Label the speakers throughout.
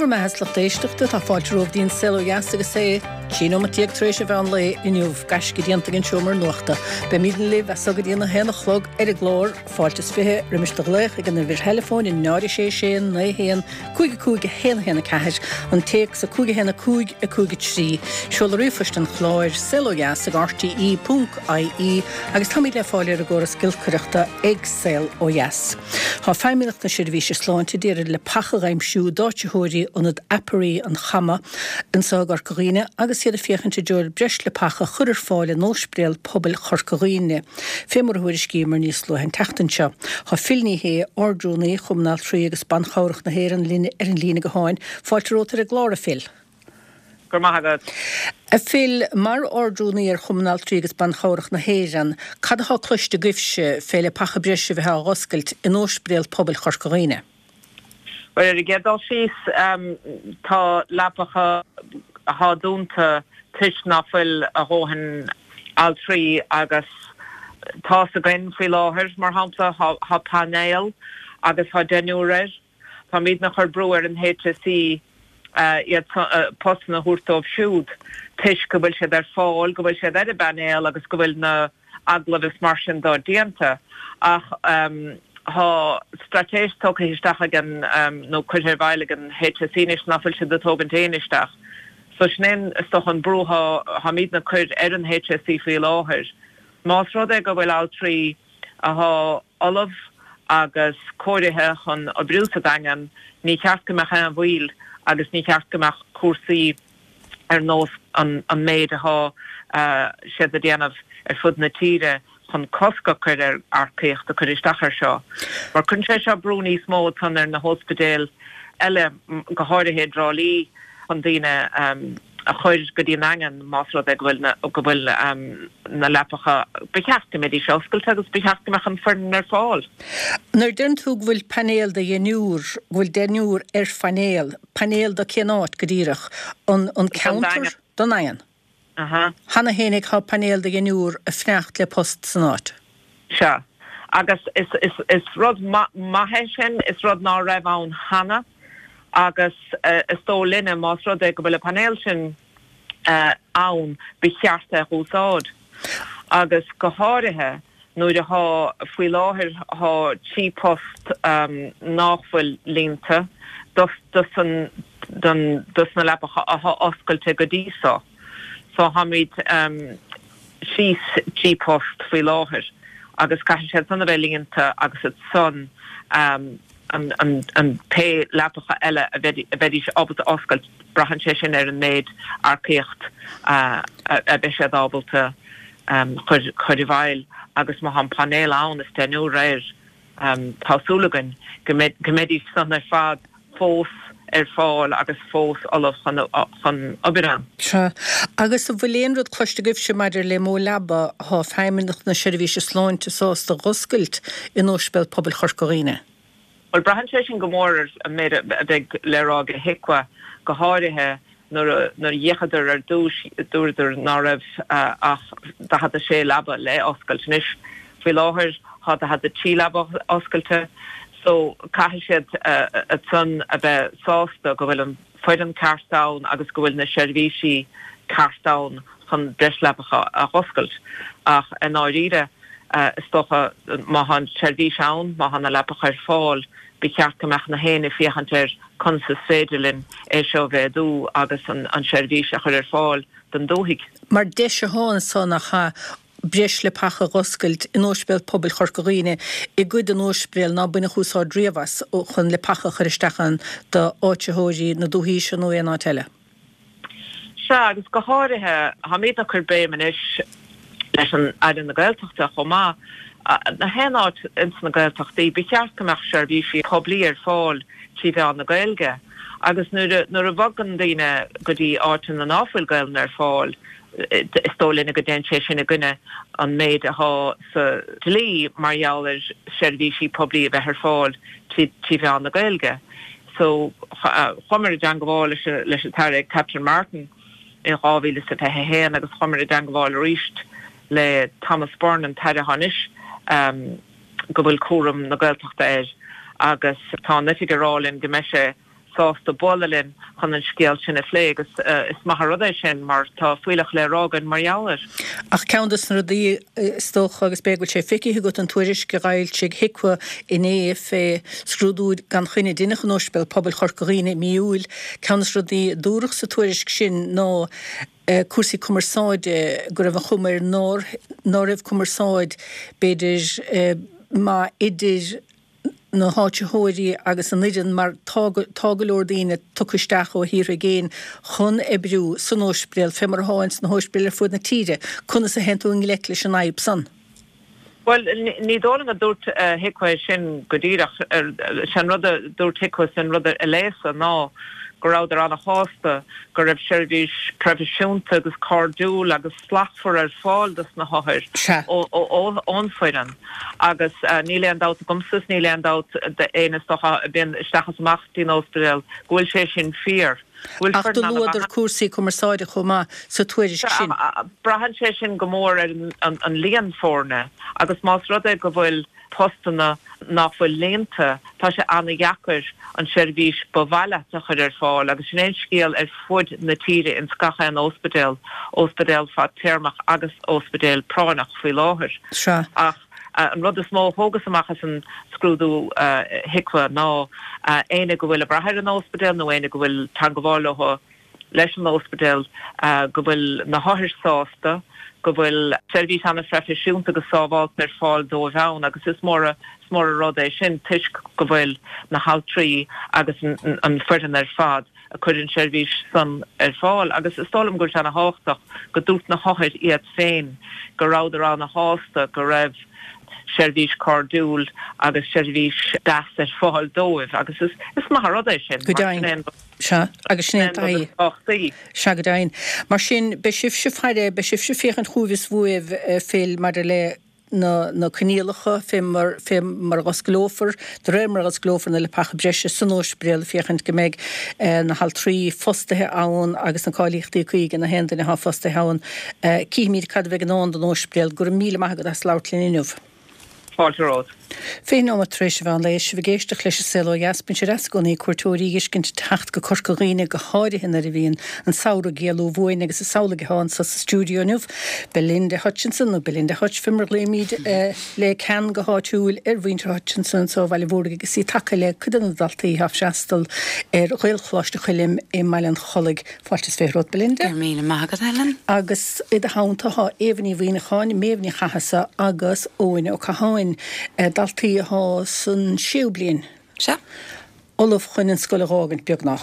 Speaker 1: Go raibh maith agat a lucht éisteachta, tá fáilte romhaibh dtí'n Saol Ó Dheas agus é 13 nóimeat tar éis an mheán lae inniu, gaisce déanta ag an seomra nuachta. Beimidne libh as so go dtí'n 1 a chlog ar an gclár, fáilte is 20 roimis do ghlaoch ag an uimhir theileafóin 0 6 6 9 1 5 5 1 1 4, an téacs 5 1 5 5 3, seoladh ríomhphoist an chláir, saolodheas ag rte ponc ie agus táimid le fáil ar an gcóras giolcaireachta ag Saol Ó Dheas. Tá Feidhmeannacht na Seirbhíse Sláinte d'iarraidh leapacha dh'aimsiú d'áititheoirí Ionad Apiary an Chama anso i gCorca Dhuibhne agus iad ag féachaint i dtreo breis leapacha a chur ar fáil in Óispidéal Pobail Chorca Dhuibhne. Fé mar a thuairiscíomar níos luaithe an tseachtain seo. Tá Phil Ní Sheaghdha, Ard-Rúnaí Chumann Altraí agus Ban Chabhrach na hÉireann linn ar an líne gutháin. Fáilte romhat ar an gclár, a Phil.
Speaker 2: Go raibh maith agat.
Speaker 1: A Phil, mar Ard-Rúnaí ar Chumann Altraí agus Ban Chabhrach na hÉireann, cad atá cloiste agaibhse fé leapacha breise a bheith á dh'oscailt in Óispidéal Pobail Chorca Dhuibhne?
Speaker 2: Bhuel, ar an gcéad dul síos, tá leapacha athá dúnta toisc ná fuil a dhóthain altraí agus tá's againn faoi láthair, mar shampla, thá painéal agus thá deichniúr air. Táimidne ag cur brú ar an HSE iad postanna a thabhairt dóibh siúd toisc go bhfuil siad ar fáil, go bhfuil siad ar an bpainéal agus go bhfuil na agallaimh is mar sin dó déanta. Ach tá straitéis tugtha isteach ag an, nó curtha i bhfeighil ag an HSE anois ná fuil siad ag tógaint éinne isteach. So sin é is dócha an brú tháimidne ag cur ar an HSE faoi láthair. Más rud é go bhfuil altraí athá ullamh agus cóirithe chun oibriú sa Daingean, ní cheart go mbeadh aon mhoill agus ní cheart go mbeadh cúrsaí ar nós an méid athá siad a déanamh ar fud na tíre chun cosc a chur ar earcaíocht a chur isteach air seo. Mar cuireann sé seo brú níos mó ansan ar na hóspidéil eile, go háirithe i dTrá Lí, chun daoine a chur go dtí an nDaingean más rud é go bhfuil na, go bhfuil na leapacha, ba cheart go mbeidís oscailte agus ba cheart go mbeadh an foireann ar fáil.
Speaker 1: Nuair a deireann tú go bhfuil painéal de dheichniúr, go bhfuil deichniúr ar phainéal, painéal do cén áit go díreach? An, an ceantar? Don Daingean.
Speaker 2: Aha.
Speaker 1: Cheana fhéinig tá painéal de dheichniúr ag fanacht le post san áit.
Speaker 2: Sea. Agus is, is, is rud maith é sin, is rud ná raibh ann cheana. Agus is dóigh linne, más rud é go bhfuil an painéal sin ann, ba cheart é a dh'úsáid. Agus go háirithe nuair athá, faoi láthair, thá 3 post nách bhfuil líonta dos, dos an, don, dos na leapacha athá oscailte go dtí so. So tháimid síos 3 post faoi láthair agus caithfidh siad san a bheith líonta agus ansan, an pé leapacha eile a bheidís ábalta oscailt, braitheann sé sin ar an méid earcaíocht a bheidh siad ábalta chur i bhfeighil agus má tá an painéal ann is deichniúr air, tá súil againn go mbeidís san ar fad fós ar fáil agus fós ullamh chun obair ann.
Speaker 1: Sea. Agus an bhfuil aon rud cloiste agaibhse maidir le mó leaba atá Feidhmeannacht na Seirbhíse Sláinte sásta dh'oscailt in Ospidéal Pobail Chorca Dhuibhne?
Speaker 2: Bhuel, braitheann sé sin go mór ar an méid a bheidh le rá ag HIQA, go háirithe nuair a d'fhéachadar ar dtús, dúradar ná raibh ach 46 leaba le oscailt. Anois, faoi láthair, tá 43 leaba oscailte, so caithfidh siad ansan a bheith sásta go bhfuil an foireann ceart ann agus go bhfuil na seirbhísí ceart ann chun breis leapacha a dh'oscailt. Ach i ndáiríre, is dócha, má tá an tseirbhís ann, má tá na leapacha ar fáil, ba cheart go mbeadh na héinne ag féachaint ar conas is féidir linn é seo a mhéadú agus an tseirbhís a chur ar fáil don dúthaigh.
Speaker 1: Mar deis atá anso nach ea, breis leapacha a dh'oscailt in Ospidéal Pobail Chorca Dhuibhne i gcuid den ospidéal ná baineadh úsáid riamh as chun leapacha a chur isteach ann d'áititheoirí na dúthaí seo nó aon áit eile.
Speaker 2: Sea, agus go háirithe, táimid ag cur béim anois leis an Aire na Gaeltachta chomh maith, na haon áit ins na Gaeltachtaí, ba cheart go mbeadh seirbhísí poiblí ar fáil trí mheán na Gaeilge. Agus nuair a, nuair a bhogann daoine go dtí áiteanna ná fuil Gaelainn ar fáil, is dóigh linne go dtéann sé sin i gcoinne an méid athá sa dlí mar gheall ar seirbhísí poiblí a bheith ar fáil trí, trí mheán na Gaeilge. So, chuamar i dteangabháil leis an tAire Catherine Martin in 2021 agus chuamar i dteangabháil arís le Thomas Byrne, an tAire atá anois, go bhfuil cúram na Gaeltachta air agus tá an oifig ag rá linn go mbeidh sé. sásta bualadh linn chun an scéal sin a phlé agus is maith an rud é sin mar tá fuílleach le rá againn mar gheall air.
Speaker 1: Ach ceann de na rudaí, is dócha, agus b'fhéidir go bhfuil sé feicthe agat, an tuairisc a d'fhoilsigh HIQA inné fé scrúdú gan choinne a deineadh in Ospidéal Pobail Chorca Dhuibhne i mí Iúil, ceann de na rudaí a dúradh sa tuairisc sin ná cúrsaí cumarsáide, go raibh an chuma air nár ná raibh cumarsáid, b'fhéidir, maith idir na háitritheoirí agus an fhoireann mar tá tá go leor daoine tugtha isteach ó thíortha i gcéin chun oibriú san óispidéal fé mar atá ins na hóispidéil ar fud na tíre. Conas a théann tú i ngleic leis an fhadhb san?
Speaker 2: Bhuel, ní dóigh liom go dúirt HIQA é sin go díreach. Sé an rud a dúirt HIQA is an rud a léas-sa ná go rabhadar ana-shásta go raibh seirbhís proifisiúnta agus cairdiúil agus slachtmhar ar fáil dos na hothair ón bhfoireann agus níl aon dabht agamsa is níl aon dabht d'éinne is dócha a bhíonn isteach is amach dtí'n ospidéal go bhfuil sé sin fíor.
Speaker 1: Go bhfuil Ach do foireann luadar cúrsaí cumarsáide chomh maith sa tuairisc sin.
Speaker 2: Braitheann sé sin go mór ar an líon foirne agus más rud é go bhfuil postanna nach bhfuil líonta, tá sé ana-dheacair an tseirbhís ba mhaith leat a chur ar fáil agus sin é an scéal ar fud na tíre ins gach aon óspidéal, óspidéal fadtéarmach agus óspidéal práinneach faoi láthair.
Speaker 1: Sea.
Speaker 2: Ach an rud is mó a thógas amach as an scrúdú HIQA ná éinne go bhfuil ag brath ar an óspidéal nó éinne go bhfuil teangabháil leo, leis an óspidéal, go bhfuil na hothair sásta, go bhfuil seirbhís an-phroifisiúnta agus sábhálta ar fáil dóibh ann agus is mór is mór an rud é sin toisc go bhfuil na haltraí agus an foireann ar fad ag cur an seirbhís san ar fáil agus is dóigh liom go bhfuil sé ana-thábhachtach go dúirt na hothair iad féin go rabhadar ana-shásta go raibh seirbhís cairdiúil agus seirbhís deas ar fáil dóibh agus is maith an rud é sin
Speaker 1: Go deimhin. Sea, agus sin é an taithí. Sea, go deimhin. Mar sin, beidh sibhse ag faire, beidh sibhse ag féachaint chugaibh is uaibh, Phil, maidir le na, na coinníollacha fé mar, fé mar a dh'osclófar, de réir mar a dh'osclófar na leapacha breise san óispidéal, féachaint go mbeidh na haltraí fostaithe ann agus na cáilíochtaí cuí ag na haon duine atá fostaithe ann. Cífimid cad a bheidh i ndán don óispidéal. Go raibh míle maith agat as labhairt linn inniu.
Speaker 2: Fáilte romhat.
Speaker 1: 20 nóiméad tar éis an mheán lae, is sibh ag éisteacht leis An Saol Ó Dheas. Bíonn sé deas i gcónaí cuairteoirí a dh'fheiscint ag teacht go Corca Dhuibhne, go háirithe nuair a bhíonn an samhradh ag éalú uainn agus is amhlaidh atá anso sa stiúideo inniu. Belinda Hutchinson, nó Belinda Hutch fé mar a ghlaoimid le ceann go háitiúil ar mhuintir Hutchinson anso i Bhaile Mhúirg agus í tagtha le cuid de na daltaí atá ag freastal ar Ghaelcholáiste Choilm i mBaile an Chollaigh. Fáilte is 20 romhat, Belinda.
Speaker 3: Go raibh míle maith agat, Helen.
Speaker 1: Agus i do theannta tá Éabha Ní Mhuimhneacháin, Méabh Ní Chathasaigh agus Eoin Ó Catháin, daltaí atá san séú bliain.
Speaker 3: Sea.
Speaker 1: Ullamh chun an scoil a dh'fhágaint, beagnach.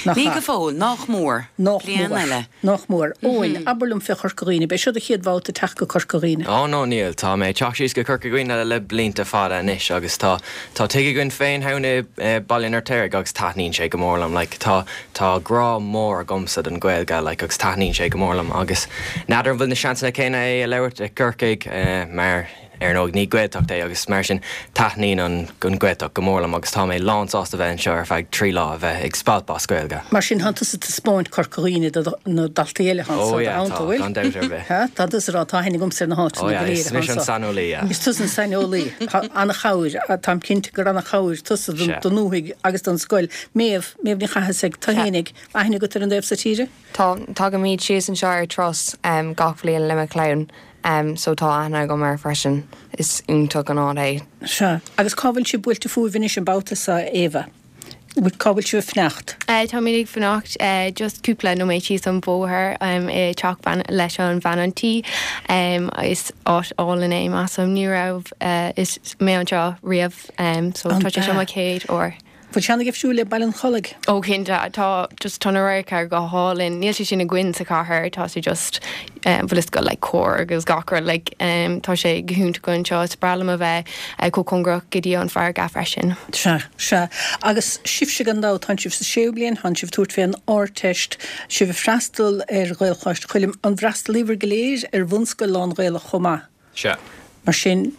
Speaker 3: Nach Ní ea? go fóill, nách mór.
Speaker 1: Nách Bliain mór. eile. Nách mór. Eoin, abair liom fé Chorca Dhuibhne. B'é seo do chéad bhabhta teacht go Corca Dhuibhne?
Speaker 4: Ó no, níl. Tá mé ag teacht síos go Corca Dhuibhne le blianta fada anois agus tá tá tigh againn féin thall i Baile an Fheirtéaraigh agus taitníonn sé go mór liom. Like, tá Tá grá mór agamsa don Ghaeilge like agus taitníonn sé go mór liom agus n'fheadar an bhfuil na seansanna céanna é a labhairt i gCorcaigh mar ar ndóigh ní Gaeltacht é agus mar sin taitníonn an an Ghaeltacht go mór liom agus tá mé lán sásta bheith anseo ar feadh 3 lá a bheith ag spalpadh as Gaeilge.
Speaker 1: Mar sin tánn tusa ag taispeáint Corca Dhuibhne do na daltaí eile atá
Speaker 4: anso i do theannta, an bhfuil? Gan dabht ar
Speaker 1: bith. Tá tusa ag rá tá aithne agamsa ar na háiteanna go léir
Speaker 4: atá anso. Is mise an saineolaí, yeah.
Speaker 1: Is tusa an saineolaí. Tá an-chabhair, táim cinnte gur an-chabhair tusa don ndúthaigh agus don scoil. Méabh, Méabh Ní Chathasaigh, tú fhéinig, aithne agat ar an dtaobh so tíre?
Speaker 5: Tá, tagaimid síos anseo ar turas gach bhliain le mo chlann so tá aithne agam air freisin. Is iontach an áit
Speaker 1: é. Sea. Agus cá bhfuil sibh buailte fúibh anois an babhta so, a Éabha? Cá bhfuil sibh ag fanacht?
Speaker 5: Táimid ag fanacht just cúpla nóiméad síos an bóthar i dteach bean leis an bhean an tí. Is áit álainn é, measaim. Ní raibh mé anseo riamh so tá sé seo mo chéad uair.
Speaker 1: Bhfuil sé an-difriúil le Baile an Chollaigh?
Speaker 5: Ó cinnte, tá just tá na radharca go hálainn. Níl sé sin againn sa chathair, tá sé just bhfuil fhios agat like cóir agus gach rud like tá sé go hiontach anseo. Is breá liom a bheith chomh cóngarach go dtí an farraige freisin.
Speaker 1: Sea, sea. Agus sibhse gan dabht, tánn sibh sa séú bliain, tánn sibh ag tabhairt fén Ardteist, sibh ag freastal ar Ghaelcholáiste Choilm. An bhfreastalaíobhair go léir ar bhunscoil lán-Ghaelach chomh maith?
Speaker 4: Sea.
Speaker 1: Mar sin,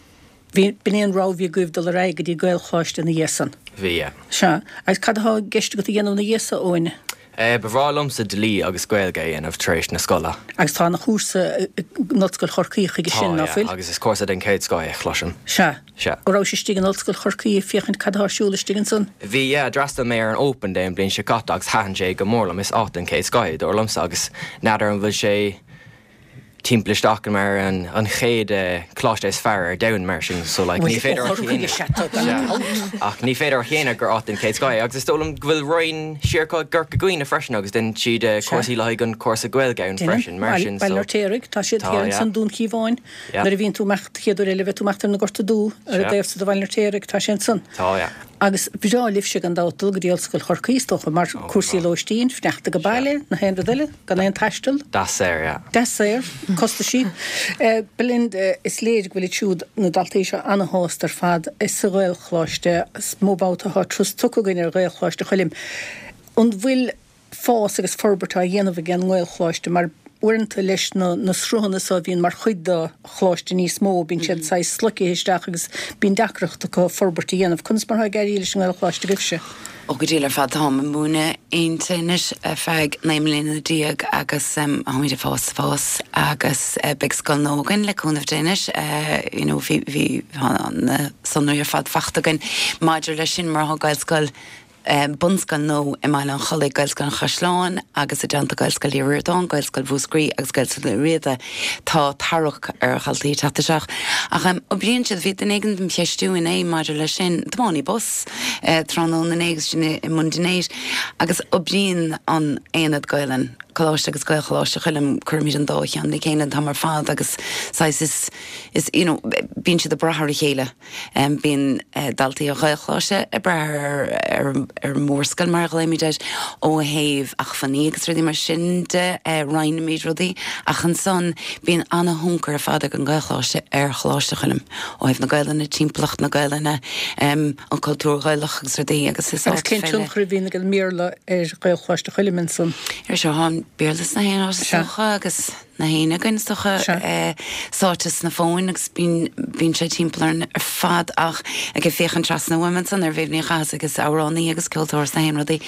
Speaker 1: bhí, b'in é an rogha a bhí agaibh dul ar aghaidh go dtí Gaelcholáiste ina dhiaidh san.
Speaker 4: Bhí, yeah.
Speaker 1: Sea. Agus cad atá i gceist agat a dhéanamh ina dhiaidh so, Eoin?
Speaker 4: Ba bhreá liomsa dlí agus Gaeilge a dhéanamh tar éis na scoile.
Speaker 1: Agus tá ana chúrsa in Ollscoil Chorcaí chuige sin,
Speaker 4: Tá,
Speaker 1: ná
Speaker 4: yeah,
Speaker 1: fuil?
Speaker 4: agus is cúrsa den chéad scoth é, chloisim.
Speaker 1: Sea.
Speaker 4: Sea.
Speaker 1: An rabhais istigh in Ollscoil Chorcaí ag féachaint cad atá ar siúl istigh ansan?
Speaker 4: Bhí, yeah, d'fhreastail mé ar an Open Day an bhliain seo caite agus thaitin sé go mór liom. Is áit den chéad scoth é, dar liomsa, agus n'fheadar an bhfuil sé timpeall isteach mar an chéad choláiste is fearr ar domhan mar sin so like ní féidir a shéanadh ach ní féidir a shéanadh gur áit den chéad scoth é agus is dóigh liom go bhfuil roinn siar acu i gCorca Dhuibhne freisin agus déanann siad cúrsaí le haghaidh an cúrsa Gaeilge ann freisin mar sin
Speaker 1: so Baile an Fheirtéaraigh tá siad thiar ansan Dún Chíomháin nuair a bhíonn tú imeacht chéad uair eile bheidh tú imeacht ar na Gorta Dubha ar an dtaobh so de Bhaile an Fheirtéaraigh tá sé ansan.
Speaker 4: Tá yeah.
Speaker 1: Agus bhreá libhse gan dabht dul go dtí Ollscoil Chorcaí, is dócha, mar cúrsaí lóistín, fanacht ag baile, na haon rud eile, gan aon taisteal.
Speaker 4: Deas saor, yeah.
Speaker 1: Deas saor, costaisí. Belinda, is léir go bhfuil iad siúd, na daltaí seo, ana-shásta ar fad sa Ghaelcholáiste. Is mó babhta atá turas tugtha againn ar Ghaelcholáiste Choilm. An bhfuil fás agus forbairt á dhéanamh ag an nGaelcholáiste mar uaireanta leis na na sruthanna so a bhíonn mar chuid de choláiste níos mó, bíonn siad saghas sloicithe isteach agus bíonn deacracht acu forbairt a dhéanamh. Conas mar atá ag éirí leis an nGaelcholáiste agaibhse?
Speaker 3: Ó go diail ar fad, táim ag múineadh inti anois ar feadh 19 mbliana agus táimid ag fás fás agus beidh scoil nua againn le cúnamh Dé anois, you know bhí bhí na sonraí ar fad faighte againn maidir leis sin mar tá Gaelscoil bunscoil nua i mBaile an Chollaigh, Gaelscoil an Chaisleáin agus i dteannta Gaelscoil Uí Ríordáin, Gaelscoil Mhúscraí agus Gaelscoil Uí Riada. Tá tarrac ar dhaltaí ag teacht isteach. Ach oibríonn siad, bhí duine éigin dem cheistiú inné maidir leis sin, tiománaí bus tráthnóna inné agus sinn i mbun dinnéir, agus oibríonn an Aonad Gaelainn, Coláiste agus Gaelcholáiste Choilm, cuirimid an dá cheann le chéile an t-am ar fad agus saghas is, is, you know, bíonn siad ag brath ar a chéile. Bíonn daltaí an Ghaelcholáiste ag brath ar an mhórscoil, mar a ghlaoimid air, ó thaobh acmhainní agus rudaí mar sin de, roinnimid rudaí, ach ansan bíonn ana-thionchar ar fad ag an Ghaelcholáiste ar Choláiste Choilm, ó thaobh na Gaelainne, timpeallacht na Gaelainne, an cultúr Gaelach agus rudaí
Speaker 1: agus is áit Agus cén tionchar a bhíonn ag an mBéarla ar Ghaelcholáiste Choilm ansan?
Speaker 3: Ar seo, tá an Béarla sna haon áit is dócha agus. na héinne againn is dócha, sáite sna fóin agus bíonn, bíonn sé timpeall orainn ar fad ach ag féachaint trasna uaim ansan ar Mhéabh Ní Chathasaigh is amhránaí agus ceoltóir is na haon rudaí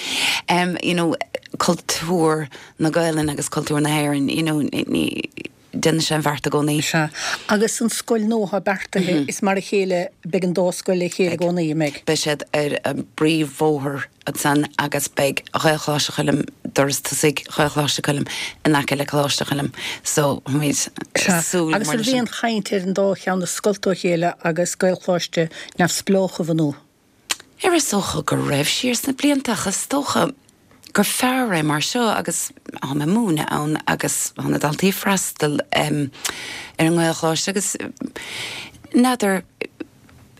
Speaker 3: you know cultúr na Gaelainne agus cultúr na hÉireann you know ní déanann sé an bheart i gcónaí.
Speaker 1: Sea. Agus an scoil nua atá beartaithe, is mar a chéile, beidh an dá scoil le chéile i gcónaí, an mbeidh?
Speaker 3: Beidh siad ar an bpríomhbhóthar ansan agus beidh Ghaelcholáiste Choilm, doras tosaigh Ghaelcholáiste Choilm in aice le Coláiste Choilm so táimid
Speaker 1: ag súil go
Speaker 3: Agus
Speaker 1: mór an
Speaker 3: leis
Speaker 1: raibh
Speaker 3: sin.
Speaker 1: aon chaint ar an dá cheann a scoilt ó chéile agus Gaelcholáiste neamhspleách a bhunú?
Speaker 3: Ar is dócha go raibh siar sna blianta ach is dócha gur fearr é mar seo agus táim ag múineadh ann agus tá na daltaí ag freastal ar an nGaelcholáiste agus n'fheadar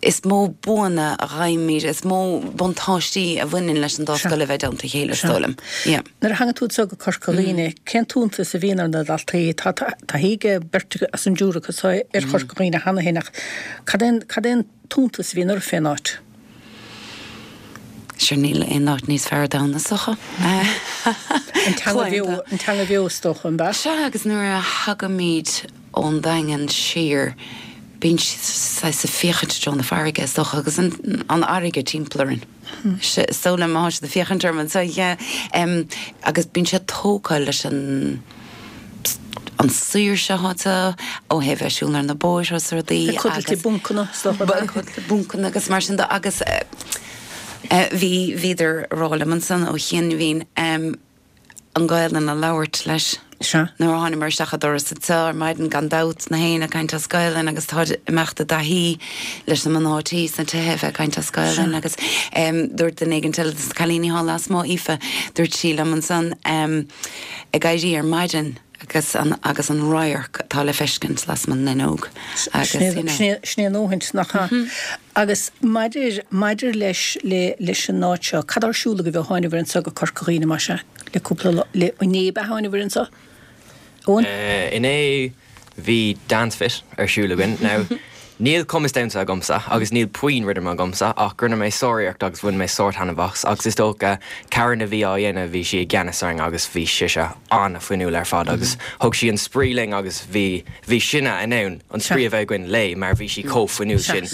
Speaker 3: Is mó buanna a fhaighimid, is mó buntáistí a bhaineann leis an dá scoil a bheith i dteannta a chéile, is dóigh liom.
Speaker 1: Yeah. Nuair a thagann tú anseo go Corca Dhuibhne, cén t-iontas a bhíonn ar na daltaí? Tá taithí ag beirt as an dtriúr acu seo ar Chorca Dhuibhne cheana féin ach cad é cad é an t-iontas a bhíonn orthu fén áit?
Speaker 3: Sure níl aon áit níos fearr ar domhan is dócha.
Speaker 1: An teanga bheo, an teanga bheo is dócha, an
Speaker 3: b'ea? Sea, agus nuair a thagaimid ón Daingean siar, bíonn siad saghas ag féachaint i dtreo na farraige, is dócha, agus an fharraige timpeall orainn. Is dóigh liom, tá siad ag féachaint orm anseo, yeah. Agus bíonn siad tógtha leis an an saoirse atá anseo, ó thaobh bheith ag siúl ar na bóithre is rudaí.
Speaker 1: Ag codlait i bponcanna, is
Speaker 3: dócha. Ag codlait i bponcanna agus mar sin de. Agus bhí, bhíodar ag rá liom ansan ó chianaibhín, an Ghaelainn a labhairt leis.
Speaker 1: Sea.
Speaker 3: Nuair a thánamar isteach an doras anseo ar maidin, gan dabht, na héinne ag caint as Gaelainn agus táid ag imeacht i dtaithí leis na mná tí sna tithe a bheith ag caint as Gaelainn agus dúirt duine éigin eile dos na cailíní thall lasmuigh, Aoife, dúirt sí liom ansan ag éirí ar maidin agus an agus an radharc atá le feiscint lasmuigh den fhuinneog
Speaker 1: agus you know. Sin é a ndóthaint, nach ea? Agus maidir, maidir leis, le, leis an áit seo, cad tá ar siúl agaibh ó thánabhair anso go Corca Dhuibhne, más ea, le cúpla lá, le, inné ab ea thánabhair anso?
Speaker 4: Eoin? Inné bhí Dance Fit ar siúl againn. Now, Níl cumas damhsa agamsa agus níl puinn rithim agamsa ach rinne mé sáriarracht agus bhain mé sár-taitneamh as agus is dócha Karen a bhí á dhéanamh bhí sí i gceannas orainn agus bhí sise an-fhuinniúil ar fad agus thug sí an spraoi linn agus bhí bhí sinne in ann an spraoi a bheith againn léi mar bhí sí chomh fuinniúil sin.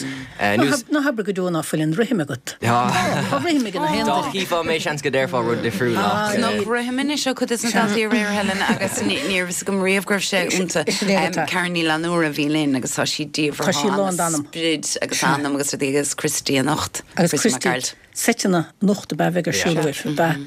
Speaker 1: Ná habair go deo ná fuil an rithim agat. Tá, tá rithim ag na haon
Speaker 4: duine. Dá chífeá mé seans go déarfá rud difriúil
Speaker 3: ach. Chonac rithim anois ó chuid de na daltaí aréir Helen agus ní raibh fhios agam riamh go raibh sé iontu. Karen Ní Fhlannúra a bhí linn agus tá sí diamhair
Speaker 1: Tá sí lán d'anam.
Speaker 3: sprid agus anam agus rudaí agus Christy anocht.
Speaker 1: Agus Christy, seiteanna anocht ab ea a bheidh ar siúl agaibh, ab ea?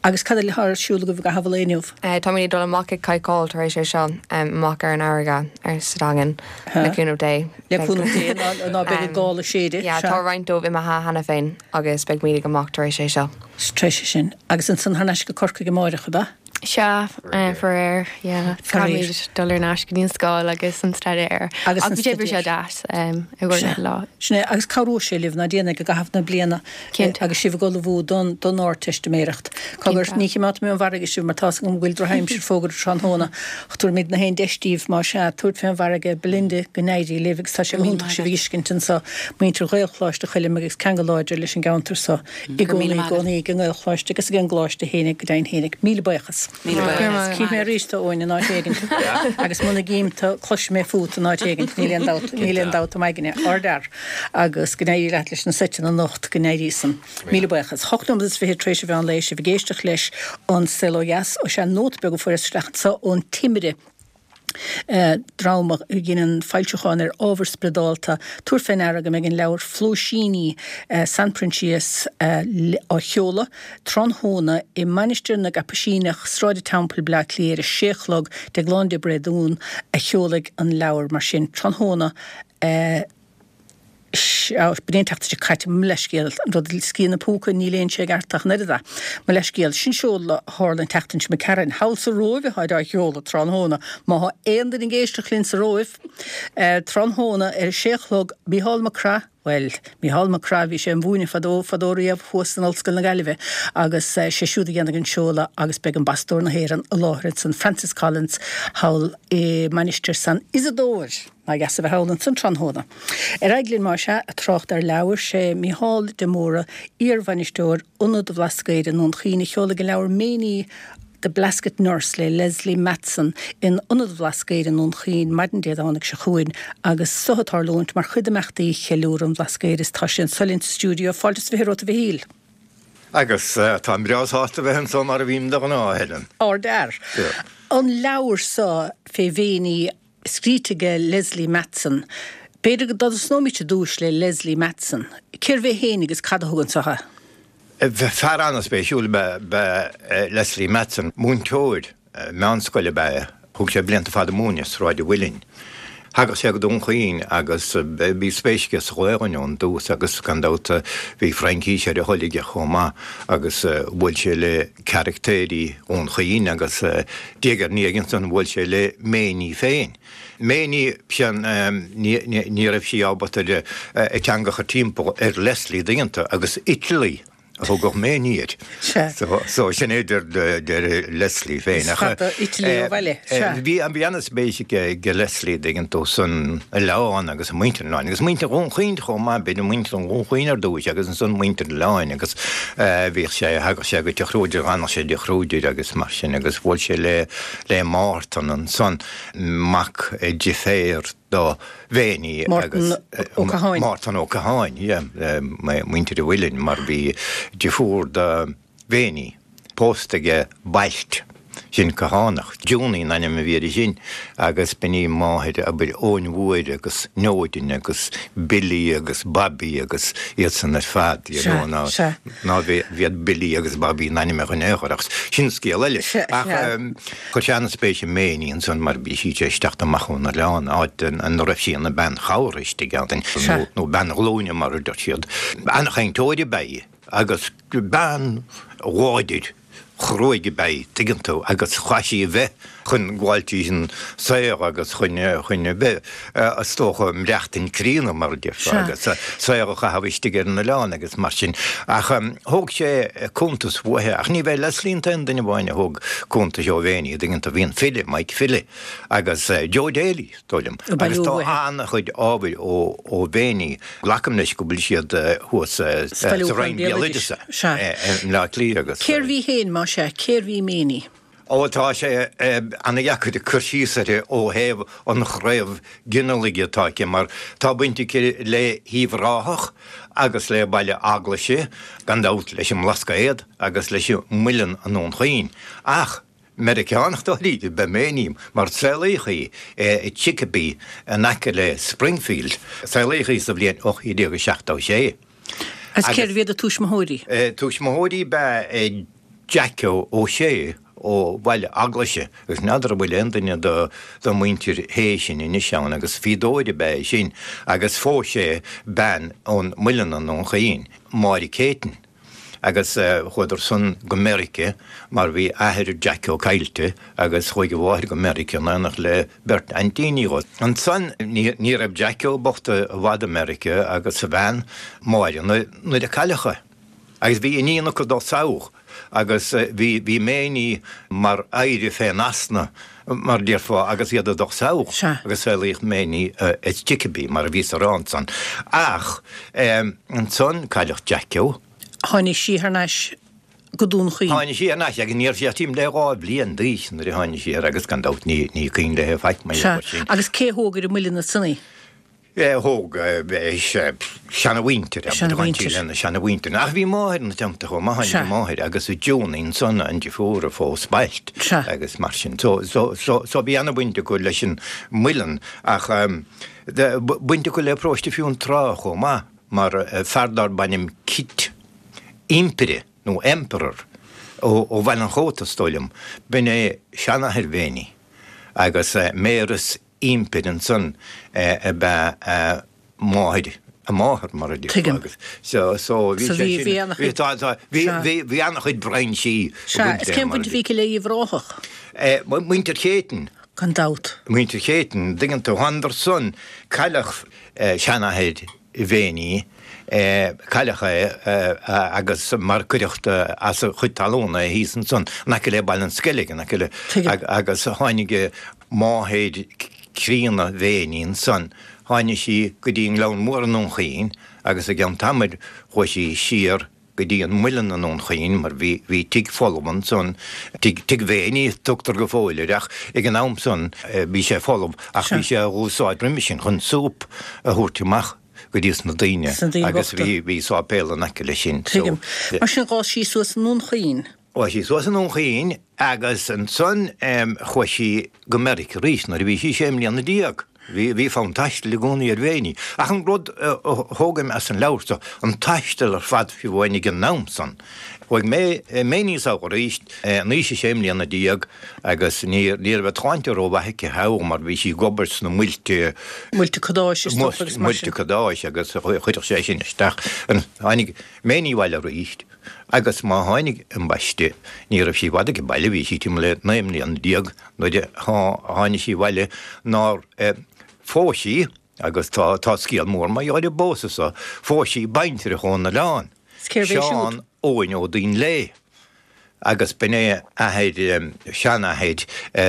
Speaker 1: Agus cad eile atá ar siúl agaibh i gcaitheamh an lae inniu?
Speaker 5: Táimid ag dul amach ag cadhcáil tar éis é seo, amach ar an fharraige ar sa Daingean, le cúnamh Dé.
Speaker 1: Le cúnamh Dé, ná beidh an gála ag séideadh.
Speaker 5: Yeah, tá roinnt dóibh imithe cheana féin agus beidh muid ag amach tar éis é seo.
Speaker 1: Tar éis sin. Agus ansan thar n-ais go Corcaigh amáireach, ab ea?
Speaker 5: Sea, faraor, yeah. Caithfimid dul ar ais go dtí an scoil agus an staidéar. Agus an staidéar. Ach beidh sé deas i gcomhair na lá.
Speaker 1: Sin é, agus cabhróidh sé libh, ná déanfaidh, i gcaitheamh na bliana agus sibh ag ullmhú don don Ardteistiméireacht. Cogar, ní chimeádfaidh mé ón bhfarraige sibh mar tá's agam go bhfuil drochaimsir fógartha tráthnóna, ach tabharfaimid na haon deis daoibh, más ea, tabhairt fén bhfarraige, Belinda, go n-éirí libh agus tá sé go hiontach sibh a fheiscint anso, muintir Ghaelcholáiste Choilm agus ceangal láidir leis an gceantar so. I gcónaí, i gcónaí ag an nGaelcholáiste agus ag an gcoláiste fhéinig, go deimhin fhéinig. Míle buíochas.
Speaker 3: Míle buíochas.
Speaker 1: Cífidh mé arís tú, Eoin, in áit éigin. Agus muna gcím tú, cloisfidh mé fút in áit éigin, níl aon dabht, níl aon dabht i m'aigne. Ardfhear. Agus go n-éirí leat leis na seiteanna anocht, go n-éirí san. Míle buíochas. Hocht nóiméad is fichead tar éis an mheán lae, sibh ag éisteacht leis An Saol Ó Dheas. Ó sea, nóta beag a fuaireas isteach anseo ón Timire. dream a dheineann foilseacháin ar ábhar spioradálta, tabhair fé ndeara go mbeidh an leabhar Flóisíní San Proinsias á sheoladh tráthnóna i Mainistir na gCaipuisíneach, Sráid an Teampaill, Bleá Cliath ar a sé a chlog, Déaglán de Bréadún a sheolfaidh an leabhar mar sin tráthnóna. Sea, b'in é an tseachtain seo caite, mo leithscéal, an rud, sciath na púca, ní léann sé i gceart ach an oiread é. Mo leithscéal, sin seoladh a tharla an tseachtain seo imigh tharainn, thall sa Róimh atáid á sheoladh tráthnóna. Má thá aon duine ag éisteacht linn sa Róimh, tráthnóna ar a sé a chlog, Mícheál Mac Craith, bhuel, Mícheál Mac Craith, bhí sé im mhúineadh fadó, fadó riamh thuas in Ollscoil na Gaillimhe agus sé siúd a dhéanfaidh an seoladh agus beidh Ambasadóir na hÉireann i láthair ansan, Francis Collins, thall i Mainistir San Isadóir. Nár dheas a bheith thall ansan tráthnóna. Ar aghaidh linn más ea, ag trácht ar leabhair, sé Mícheál de Mórdha, iar-bhainisteoir Ionad an Bhlascaoid i nDún Chaoin a sheolfaidh an leabhar Méiní The Blasket Nurse le Lesley Matson in Ionad an Bhlascaoid i nDún Chaoin maidin Dé Domhnaigh seo chugainn agus so ag tarlúint mar chuid d'imeachtaí Cheiliúradh an Bhlascaoid is tá sé anso linn sa stiúideo. Fáilte is 20 romhat a Mhichíl.
Speaker 6: Agus táim breá sásta a bheith anso mar a bhím de ghnáth, a Helen.
Speaker 1: Ardfhear. An leabhar so fé Mhéiní Scríte age Lesley Matson. B'fhéidir go dtosnóimid ar dtúis le Lesley Matson. Cérbh é féin agus cad a thug anso é?
Speaker 6: Fear an-spéisiúil ab ea Lesley Matson. Múinteoir meánscoile ab ea é. Thug sé blianta fada ag múineadh i Sráid an Mhuilinn. Thagadh sé go Dún Chaoin agus bhí spéis aige sa Ghaolainn ón dtús agus gan dabht bhí Fraincís ar a thoil aige chomh maith agus bhuail sé le caractéirí Dhún Chaoin agus diaidh ar ndiaidh ansan bhuail sé le Méiní féin. Méiní, sin, ní raibh sí ábalta a teanga a chur timpeall ar Leslie dtuigeann tú agus Italy a thugadh Méiní air. So sin é deir Leslie féin.
Speaker 1: Is fada Italy ó bhaile.
Speaker 6: Bhí an-spéis ag Leslie dtuigeann tú san oileán agus i muintir an oileáin agus muintir Dhún Chaoin chomh maith, b'fhéidir muintir Dhún Chaoin ar dtúis agus ansan muintir an oileáin agus Bhíodh sé, thagadh sé go Tigh Chruaidir, d'fhanadh sé i dTigh Chruaidir agus mar sin agus bhuail sé le, le Mártan ansan, mac deirféar do Mhéiní
Speaker 1: agus. Mártan Ó Catháin.
Speaker 6: Mártan Ó Catháin, yeah, muintir an Mhuilinn mar bhí deirfiúr do Mhéiní pósta aige Bailt. Sin Cathánach. Junie an ainm a bhí uirthi sin agus b'in í máthair, abair, Eoin Mhóir agus Neoidin agus Billy agus Bobby agus iad san ar fad, you know, ná, ná bhíod Billy agus Bobby in ainmneacha in aon chor ach sin scéal eile. Ach chuir sé an-spéis i Méiní ansan mar bhí sí tar éis teacht amach ón oileán, áit ina raibh sí ina bean chabhartha istigh ann, nó bean ghlúine mar a deir siad. An-chainteoir ab ea í agus bean láidir. chruaidh ab ea í, tuigeann tú, agus chaith sí a bheith. chun gabháil tríd an saol agus chun chun a bheith, is dócha, maireachtaint críonna, mar a déarfá, agus saol a chaitheamh istigh ar an oileán agus mar sin. Ach thóg sé cuntas uaithi, ach ní b'é Leslie an t-aon duine amháin a thóg cuntais ó Mhéiní, an dtuigeann tú, bhí an file, Mike Philly, agus Joe Daly, is dóigh liom. Agus tá an-chuid ábhair ó Mhéiní, glacaim leis go bhfuil siad thuas sa Roinn Béaloideasa i mBleá Cliath agus.
Speaker 1: Cérbh í féin, más ea? Cérbh í Méiní?
Speaker 6: Ó, tá sé ana-dheacair cur síos uirthi ó thaobh an chraobh ginealaigh atá aici, mar tá baint aici le hUíbh Ráthach agus le Baile Eaglaise, gan dabht leis an mBlascaod agus leis an Muileann i nDún Chaoin. Ach Meiriceánach dáiríre ab ea Méiní, mar saolaíodh í i Chicopee in aice le Springfield. Saolaíodh í sa bhliain 1876.
Speaker 1: Agus cérbh iad a tuismitheoirí?
Speaker 6: Tuismitheoirí ab ea Jack Ó Sé ó Bhaile Eaglaise, agus n'fheadar an bhfuil aon duine de mhuintir Shé sin anois ann, agus fíodóir ab ea é sin, agus phós sé bean ón Muileann i nDún Chaoin, Máire Céitinn. Agus chuadar san go Meirice mar bhí athair Jacko caillte agus chuaigh a mháthair go Meirice in éineacht le beirt aintíní dhó. Ansan ní raibh Jacko bocht i bhfad i Meirice agus a bhean, Máire, nuair a cailleadh é. Agus bhí iníon acu dó sall agus bhí bhí Méiní mar oidhre fén easna mar déarfá agus iad ag dul sall agus saolaíodh Méiní i Chicopee mar a bhíos a rá ansan. Ach ansan cailleadh Jacko.
Speaker 1: Tháinig sí thar n-ais go Dún Chaoin.
Speaker 6: Tháinig sí thar n-ais agus ní raibh sí ach timpeall le 2 bhliain d'aois nuair a tháinig sí air agus gan dabht ní ní cuimhin léi faic mar gheall air sin.
Speaker 1: Agus cé thóg ar an muileann ansan í?
Speaker 6: Thóg seanamhuintir, seanamhuintir, lena seanamhuintir. Ach bhí máthair ina teannta chomh maith, tháinig a máthair agus June ansan, an deirfiúr a phós Bailt agus mar sin. So, so, so, so bhí ana-bhaint acu leis an muileann ach baint acu le paróiste Fionntrá chomh maith mar fear darb ainm Kit Impire nó Emperor ó Bhaile an Chóta is dóigh liom, b'in é seanathair Mhéiní agus Mayoress Impire ansan ab ea a máthair, a máthair mar a déarfá agus so so bhí sé sin, bhí tá tá bhí bhí bhí an-chuid brainsí
Speaker 1: Sea, is cén bhaint a bhí aici le Uíbh Ráthach?
Speaker 6: Muintir Chéitinn.
Speaker 1: Gan dabht.
Speaker 6: Muintir Chéitinn, dtuigeann tú, thánadar san, cailleadh seanathair Mhéiní, cailleadh é agus mar cuireadh as a chuid talún é thíos ansan in aice le Baile an Sceilg, in aice le, agus tháinig máthair chríonna Mhéiní ansan, tháinig sí go dtí an Gleann Mór i nDún Chaoin agus i gceann tamaill chuaigh sí siar go dtí an Muileann i nDún Chaoin mar bhí, bhí tigh folamh ansan, tigh, tigh Mhéiní a tugtar go fóill air ach ag an am san bhí sé folamh ach bhí sé á úsáid roimhe sin chun súp a thabhairt amach go dtí sna daoine agus bhí, bhí sáipéal in aice leis sin.
Speaker 1: Tuigim. Mar sin d'fhás sí suas i nDún Chaoin.
Speaker 6: D'fhás sí suas i nDún Chaoin agus ansan chuaigh sí go Meiriceá arís nuair a bhí sí sé mbliana déag. Bhí, bhí fonn taistil i gcónaí ar Mhéiní. Ach an rud a thógaim as an leabhar seo, an taisteal ar fad fiú amháin ag an am san. Chuaigh Mé, Méiní sall arís in aois a sé mbliana déag agus ní, ní raibh a tsláinte rómhaith aici thall mar bhí sí ag obair sna muilte,
Speaker 1: Muilte cadáis is dócha
Speaker 6: agus mar sin. Muilte cadáis agus chuirfeadh sé sin isteach. Tháinig Méiní abhaile arís. Agus má tháinig ambaiste, ní raibh sí i bhfad age baile, bhí sí timpeall le 19 mbliana nuair a tháinig sí abhaile nár phós sí, agus tá tá scéal mór mar gheall ar an bpósadh so, phós sí baintreach ón oileán, Seán Eoghain Ó Duinnshléibhe. Agus b'in é athair, seanathair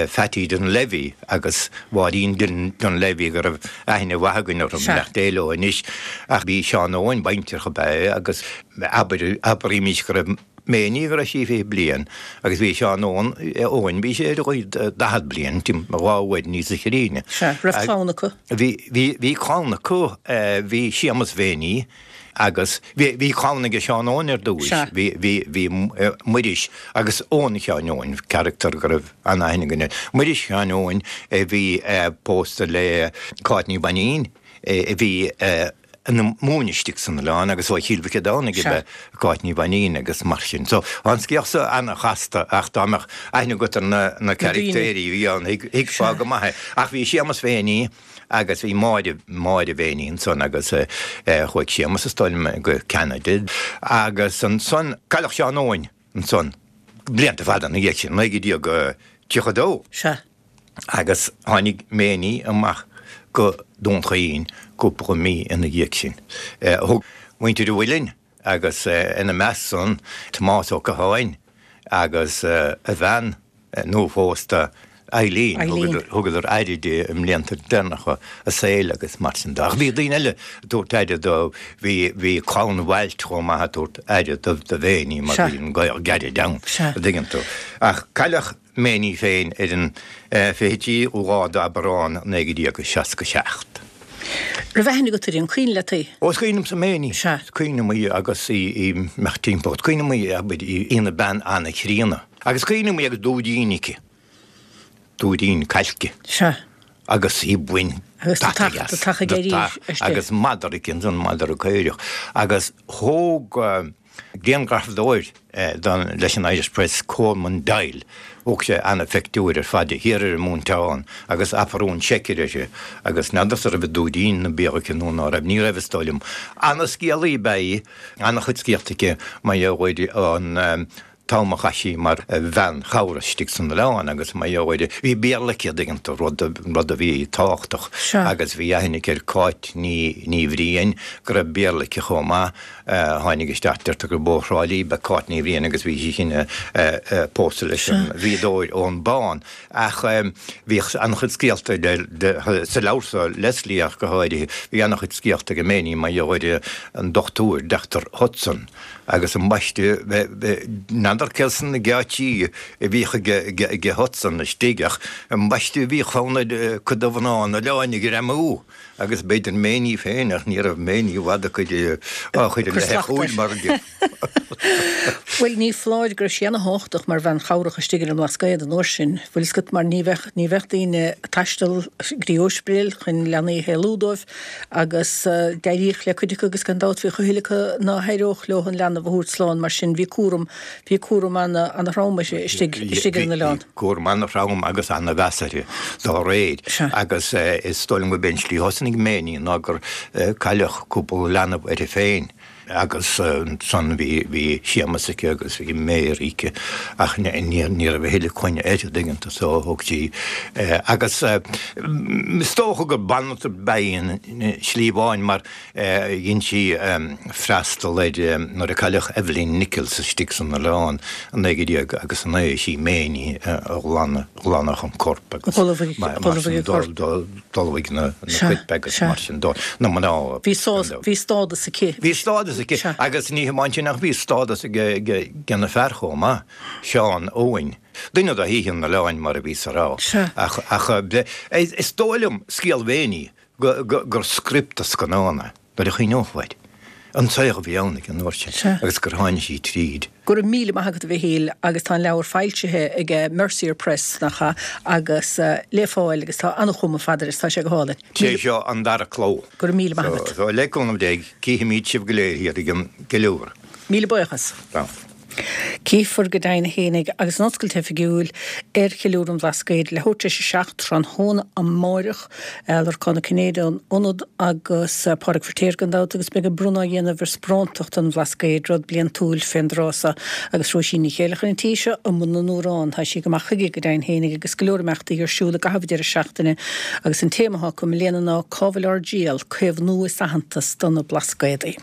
Speaker 6: Phatty Dunlevy agus Mháirín Dunlevy go raibh aithne mhaith againn orthu, beannacht Dé leo anois. Ach bhí Seán Eoghain, baintreach ab ea é agus abair, abraímis go raibh Méiní go raibh sí 20 bliain agus bhí Seán Eoghain, Eoghain, bhí sé ar a 40 bliain, timpeall dhá uair níosa chríonna.
Speaker 1: Sea, raibh clann acu?
Speaker 6: Bhí, bhí, bhí clann acu, bhí Séamus Mhéiní, Agus bhí, bhí clann aige Seán Eoghain ar dtúis, bhí, bhí, bhí Muiris agus Eoin Sheáin Eoghain, carachtar go raibh an-aithne againn air. Muiris Sheáin Eoghain a bhí pósta le Cáit Ní Mhainnín a bhí ina múineadh istigh san oileán agus ó Chill Mhic Aodhánaigh ab ea Cáit Ní Mhainnín agus mar sin. So, tá an scéal so an-chasta ach dá mbeadh aithne agat ar na, na carachtéirí a bhí ann, thuigfeá go maith é. Ach bhí Séamus Mhéiní, Agus bhí Máire, Máire Mhéiní ansan agus chuaigh Séamus is dóigh liom go Ceanada agus ansan cailleadh Seán Eoghain ansan blianta fada ina dhiaidh sin, 1932.
Speaker 1: Sea.
Speaker 6: Agus tháinig Méiní amach go Dún Chaoin cúpla mí ina dhiaidh sin. Thug muintir an Mhuilinn agus ina measc san Tomás Ó Catháin agus a bhean nuaphósta Eileen, thugadar aire di i mblianta deireanacha a saoil agus mar sin de. Ach bhí daoine eile ag tabhairt aire dó, bhí clann Mhailt chomh maith ag tabhairt aire do Mhéiní mar bhí an gaol gairid ann, an dtuigeann tú. Ach cailleadh Méiní féin ar an 23ú lá d'Aibreán 1967.
Speaker 1: Raibh aithne agat uirthi, an cuimhin leat í?
Speaker 6: Ó, is cuimhin liomsa Méiní.
Speaker 1: Sea.
Speaker 6: Is cuimhin liom í agus í ag imeacht timpeall. Is cuimhin liom í, abair, í ina bean an-chríonna. Agus is cuimhin liom í agus dúidín aici. Dúidín cailce.
Speaker 1: Sea.
Speaker 6: Agus í ag baint
Speaker 1: Agus
Speaker 6: deataigh as.
Speaker 1: Deatach ag éirí
Speaker 6: Deatach agus madra aici ansan, madra caorach. Agus thóg grianghrafadóir leis an Irish Press, Colman Doyle, thóg sé ana-phictiúr ar fad di thiar ar an Móinteán agus aprún seicear uirthi agus n'fheadarsa raibh an dúidín ina béal aici nó ná raibh, ní raibh is dóigh liom. Ana-scéalaí ab ea í, ana-chuid scéalta aici mar gheall ar an t-am a chaith sí mar bhean chabhrach istigh san oileán agus mar gheall ar, bhí Béarla aici, an dtuigeann tú, rud, rud a bhí tábhachtach agus bhí aithne aici ar Cáit Ní, Ní Bhriain, go raibh Béarla aici chomh maith, a tháinig isteach, deirtear gurb ó Thrá Lí ab ea Cáit Ní Bhriain agus bhí sí sin pósta leis an bhfíodóir Eoin Bán. Ach bhíodh an-chuid scéalta sa leabhar seo, Leslie ach go háirithe, bhí an-chuid scéalta ag Méiní mar gheall ar an dochtúir, Dochtúir Hudson. Agus ambaiste, n'fheadar cé sna geáitsí a bhíodh ag Hudson istigh ach ambaiste bhíodh fonn ar cuid de mhná an oileáin a ghreamú agus b'fhéidir Méiní féin ach ní raibh Méiní i bhfad á cur i leith a chúil mar a
Speaker 1: Bhuel, ní foláir go raibh sí ana-thábhachtach mar bhean chabhrach istigh ar an mBlascaod an uair sin, bhfuil fhios agat, mar ní bheadh, ní bheadh daoine ag taisteal go dtí ospidéil chun leanaí a shaolú dóibh. Agus d'éiríodh le cuid acu agus gan dabht bhíodh a thuilleadh acu ná héireodh leo an leanbh a thabhairt slán mar sin bhí cúram, bhí cúram ana-throm uirthi istigh, istigh ar an oileán.
Speaker 6: Bhí cúram ana-throm agus ana-mheas uirthi dá réir. Agus is dóigh liom gurb é an tslí a thosnaigh Méiní ná gur cailleadh cúpla leanbh uirthi féin. Agus ansan bhí, bhí Séamas aici agus bhí Mary aici ach ní, ní raibh a thuilleadh coinne uirthi, an dtuigeann tú, so thóg sí agus is dócha gur banaltra ab ea í i slí amháin mar dhein sí freastal ar nuair a cailleadh Evelyn Nichols istigh san oileán i 19 agus 9 is í Méiní a ghlan, ghlanfadh an corp agus mar sin d'ullmhaigh na coirp agus mar sin dó, na mná.
Speaker 1: Bhí bhí stádas aici.
Speaker 6: Bhí stádas aici agus ní hamháin sin ach bhí stádas ag na fear chomh maith, Seán Eoin, duine de shaoithe an oileáin mar a bhíos a rá. Ach ach is dóigh liom scéal Mhéiní gur script do scannán é. Nuair a chuimhneofá air, an saol a bhí ann ag an uair sin agus gur tháinig sí tríd.
Speaker 1: Go raibh míle maith agat a Mhichíl agus tá an leabhar foilsithe ag Mercier Press, nach ea, agus le fáil agus tá an-chuma fada air is tá sé go hálainn.
Speaker 6: Sé seo an dara cló.
Speaker 1: Go raibh míle maith agat.
Speaker 6: So, le cúnamh Dé, cífimíd sibh go léir thiar ag an gceiliúradh.
Speaker 1: Míle buíochas.
Speaker 6: Tá.
Speaker 1: Cífear go deimhin fhéinig agus an oscailt oifigiúil ar Cheiliúradh an Bhlascaoid leathuair tar éis a 7 tráthnóna amáireach. Lorcán Ó Cinnéide an ionad agus Pádraig Feiritéar gan dabht agus beidh an bronnadh á dhéanamh ar Sparántachta an Bhlascaoid, rud bliantúil fén dtráth so agus Róisín Ní Chéilleachair an tí seo i mbun na n-amhrán. Tá sí ag amach chuige go deimhin fhéinig agus go leor imeachtaí ar siúl i gcaitheamh an deireadh seachtaine agus an téama atá acu i mbliana ná Cá bhfuil ár dtriall? Caomhnú is aitheantas do na Blascaodaí.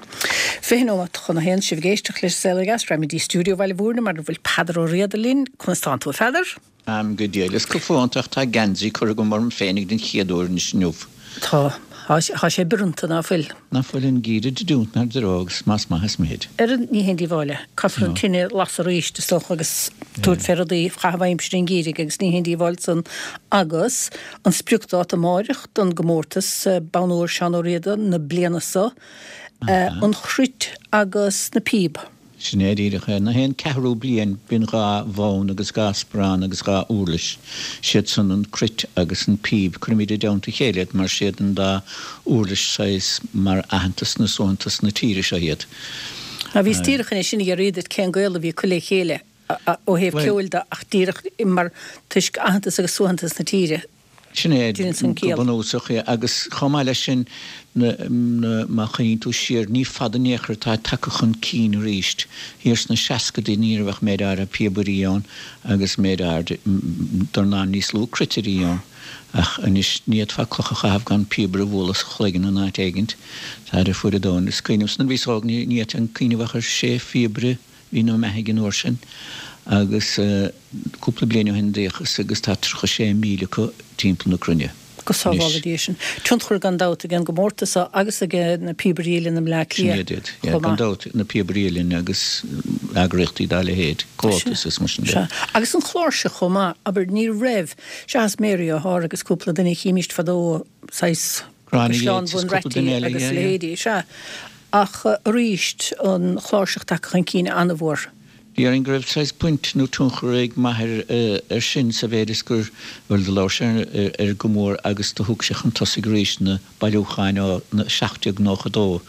Speaker 1: 20 nóimeat chun a haon, sibh ag éisteacht leis An Saol Ó Dheas, raghaimid dtí stiúideo Bhaile Mhúirne mar a bhfuil Peadar Ó Riada linn. Conas tánn tú, a Pheadair?
Speaker 7: Táim go diail is go fónta ach tá geansaí curtha agam orm féinig den chéad uair anois inniu.
Speaker 1: Tá. Tá sé bioranta, ná fuil?
Speaker 7: Ná fuil an geimhreadh ag dúint inár dtreo agus más maith is mithid.
Speaker 1: Ar ní haon díobháil é. Caithfear an tine a lasadh arís, is dócha, agus tabhairt fé rudaí a chaitheamh aimsir an gheimhridh agus ní haon díobháil san. Agus an spriocdáta amáireach don gcomórtas Bonn Óir Seán Ó Riada na bliana so. an chruit agus na píob.
Speaker 7: Sin é díreach é. Na haon ceathrú bliain bíonn dha bhonn agus dha sparán agus dha úrlais. Siad san an cruit agus an píb. Cuirimíd i dteannta a chéile iad mar siad an dá úrlais saghas mar aitheantas nó suaitheantas na tíre seo iad.
Speaker 1: Á bhíos díreach anois ag iarraidh duit cén gaol a bhí acu le chéile ó thaobh ceoil de ach díreach mar toisc aitheantas agus suaitheantas na tíre.
Speaker 7: Sin é,
Speaker 1: Déanann san
Speaker 7: go
Speaker 1: ciall.
Speaker 7: bunúsach, yeah. Agus chomh maith leis sin, na, na, má chuimhníonn tú siar, ní fada in aon chor atá tagtha chun cinn arís. Thiar sna seascadaí ní raibh ach méid áirithe píobairí ann agus méid áirithe, dornán níos lú cruitirí ann. Ach anois ní fhéadfá cloch a chaitheamh gan píobaire a bhualadh sa chloigeann in áit éigint. Táid ar fuaid an domhain. Is cuimhin liomsa nuair a bhíos óg ní fhéadfainn cuimhneamh ach ar sé phíobaire a bhí ina mbeathaidh an uair sin agus cúpla bliain ó shin d'fhéachas agus tá 36,000 acu timpeall na cruinne
Speaker 1: Go sábhála
Speaker 7: anois.
Speaker 1: Dia sinn. Tionchar gan dabht ag an gcomórtas seo agus ag na Píobairí Uilleann i mBleá
Speaker 7: Sin
Speaker 1: Cliath
Speaker 7: iad iad, yeah,
Speaker 1: chomh
Speaker 7: gan
Speaker 1: maith.
Speaker 7: dabht, na Píobairí Uilleann agus eagraíochtaí dá leithéid, Comhaltas is mar sin de.
Speaker 1: Sea. Agus an chláirseach chomh maith, abair, ní raibh, seachas Mary O'Hara agus cúpla duine a chímíst fadó, saghas
Speaker 7: Gráinne
Speaker 1: Caisleán
Speaker 7: Yeates is
Speaker 1: Bhun
Speaker 7: cúpla duine
Speaker 1: Raite
Speaker 7: eile,
Speaker 1: agus
Speaker 7: yeah, yeah.
Speaker 1: leithéidí, sea. Ach aríst, an chláirseach tagtha chun cinn an-mhór.
Speaker 7: Déarfainn go raibh saghas baint nó tionchar ag m'athair air sin sa mhéid is gur, bhuel, do labhair sé air go mór agus do thug sé chun tosaigh arís na bailiúcháin ó 1792,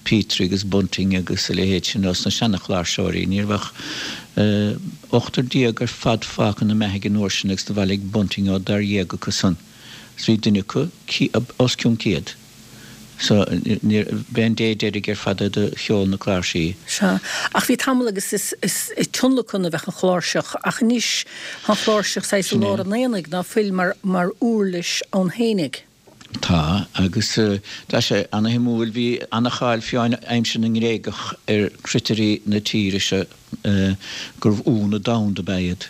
Speaker 7: Petrie agus Bunting agus a leithéid sin ós na seana-chláirseoirí. Ní raibh ach ochtar déag ar fad fágtha ina mbeathaidh an uair sin agus do bhailigh Bunting ó dáréag acu san. Is bhí duine acu os cionn 100. So, b'é an dé deiridh ar fad é do cheol na cláirsí.
Speaker 1: Sea. Ach bhí tamall agus is i tionlacan a bheadh an chláirseach, ach anois tá an chláirseach saghas i
Speaker 7: Sin é.
Speaker 1: lár an aonaigh, ná fuil, mar mar uirlis ann fhéinig.
Speaker 7: Tá, agus tá sé ana-shuimiúil, bhí ana-cháil fiú aimsir na nGréagach ar chruitirí na tíre seo gurbh ionadh domhanda ab ea iad.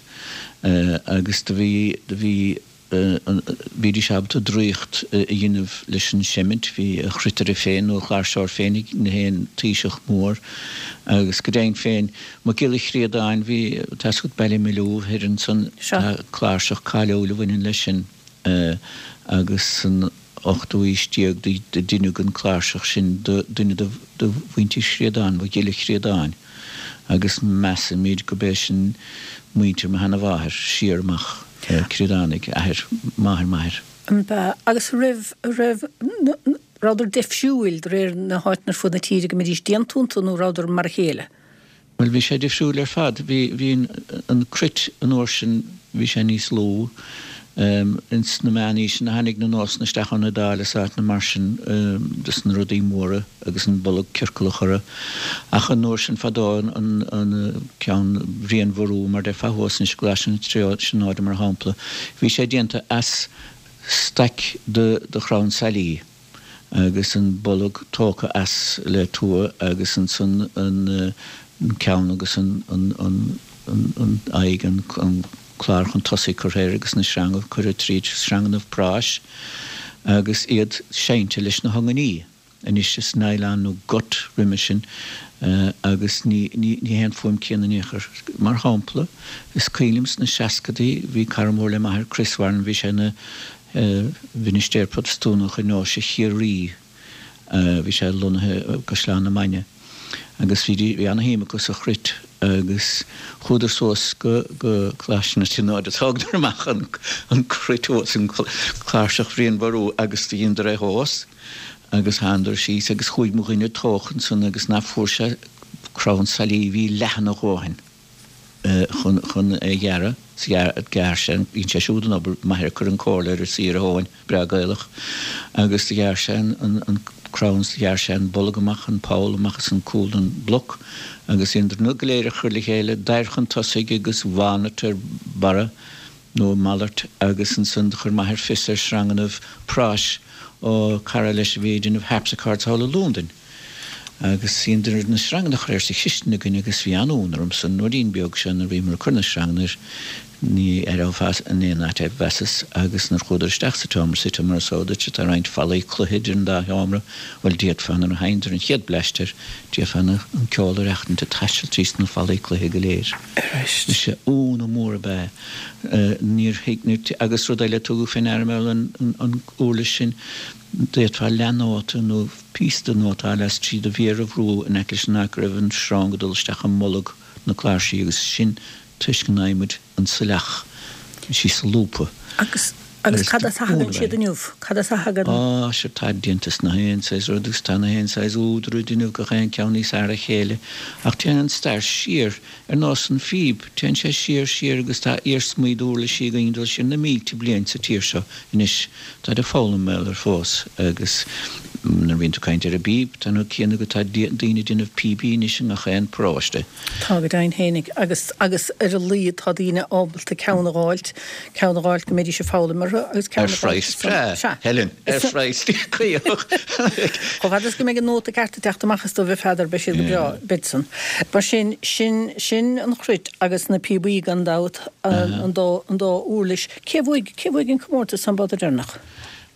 Speaker 7: Agus do bhí, do bhí, Bhídís ábalta draíocht a dhéanamh leis an seimint. Bhí a chruitire féin nó a chláirseoir féin ag na haon taoiseach mór. Agus go deimhin féin, Mac Giolla Chríodáin, bhí, tá's agat Ballymaloe thoir ansan, tá cláirseach cáiliúil a bhaineann leis sin agus san ochtú aois déag do deineadh an cláirseach sin do dhuine de mhuintir Chríodáin, Mac Giolla Chríodáin. Agus measaimid go b'é sin muintir mo sheana-mháthair siar amach. Críodánaigh, athair, máthair m'athar.
Speaker 1: An b'ea? Agus raibh, raibh, rabhadar deifriúil de réir na háiteanna ar fud na tíre go mbeidís déanta iontu nó rabhadar mar a chéile?
Speaker 7: Bhuel, bhí sé difriúil ar fad. Bhí, bhí an, an cruit an uair sin, bhí sé níos lú. Ins na meánaoiseanna tháinig na nósanna isteach ón Iodáil is áiteanna mar sin dos na rudaí móra. agus an bolg ciorclach orthu. Ach an uair sin fadó an ceann Bhriain Bhorú, mar déarfá thuas anois i gColáiste na Tríonóide mar shampla, bhí sé déanta as staic de chrann sailí agus an bolg tógtha as le tua agus ansan an ceann agus an aghaidh, an clár chun tosaigh curtha air agus na sreanga curtha tríd, sreangannaibh práis agus iad seinnte leis na hungainí. Anois is nylon nó gut roimhe sin agus ní hé an fuaim céanna in aon chor. Mar shampla, is cuimhin liom sna seascadaí bhí cara mór le m'athair, Chris Warren, bhí sé ina mhinistéir Protastúnach i nDeoise Chiarraí, bhí sé lonnaithe i gCaisleán na Mainge agus bhí bhí ana-shuim acu sa chruit agus chuadar suas go go Coláiste na Tríonóide, thógadar amach an cruit thuas, an cláirseach Bhriain Bhorú agus do dheineadar é thomhas. Agus thánadar síos agus chuaigh mo dhuine tóch ansan agus ná fuair sé crann sailí bhí leathan a dhóthain chun chun é ghearradh. 'S ghearr sé an, dhein sé siúd an obair, m'athair ag cur an comhairle air ar saor a thóin, breá Gaelach, agus do ghearr sé an an an crann 's do ghearr sé an bolg amach, an poll amach as an cúl den bhloc agus dheineadar na go léir a chur le chéile, dair chun tosaigh agus walnut ar barra. nó a mhalairt, agus ansan do chuir m'athair fios ar shreangannaibh práis ó cara leis a bhí ag déanamh harpsichords thall i Lúndain. Agus dheineadar na sreanganna a chur air sa chistin againn agus bhí an-ionadh ormsa an ruidín beag seo nuair a bhíomar ag cur na sreanganna air, ní aireofá in aon áit é, mheasas, agus nuair chuadar isteach sa tseomra suite mar is eol duit, tá roinnt fallaí cloiche idir an dá sheomra, bhuel d'fhéadfá nuair a sheinneadar an chéad bleaist air, d'fhéadfá an ceol a aireachtaint ag taisteal tríd na fallaí cloiche go léir. Sea, ionadh mór ab ea é. Níor thuig, níor, agus rud eile a tugadh fé ndeara mar an uirlis sin, d'fhéadfá leathnóta nó píosa de nóta a fháil as trí do mhéar a bhrú in aice leis an áit go raibh an sreang ag dul isteach i mbolg na cláirsí agus sin toisc an adhmaid, an saileach, síos sa lúpa.
Speaker 1: Agus. Agus cad as a thagann siad inniu? Cad as a thagann?
Speaker 7: Á, sea, táid déanta as nach aon saghas rud agus tá nach aon saghas údar ag déanamh gach aon ceann níos fhearr a chéile. Ach téann an stair siar, ar nós an phíb, téann sé siar, siar agus tá iarsmaí d'uirlisí againn ag dul siar na mílte bliain sa tír seo anois. Táid ag foghlaim mar gheall air fós agus nuair a bhíonn tú ag caint ar an bpíb, tá an céanna agat, tá daoine ag déanamh píobaí anois i ngach aon paróiste.
Speaker 1: Tá go deimhin fhéinig agus, agus ar a laghad tá daoine ábalta ceann a dh'fháilt, ceann a dh'fháilt go mbeidís ag foghlaim orthu agus ceann
Speaker 7: a dh'fháilt. Ar phraghas breá, Sea. Helen, ar phraghas caoch.
Speaker 1: Chomh fada is go mbeidh an nóta ceart ag teacht amach is dóibh a Pheadair, beidh siad go breá, beid san. Mar sin, sin, sin an chruit agus na píobaí gan dabht, an dá, an dá uirlis. Cé a bhuaigh, cé a bhuaigh an comórtas an babhta deireanach?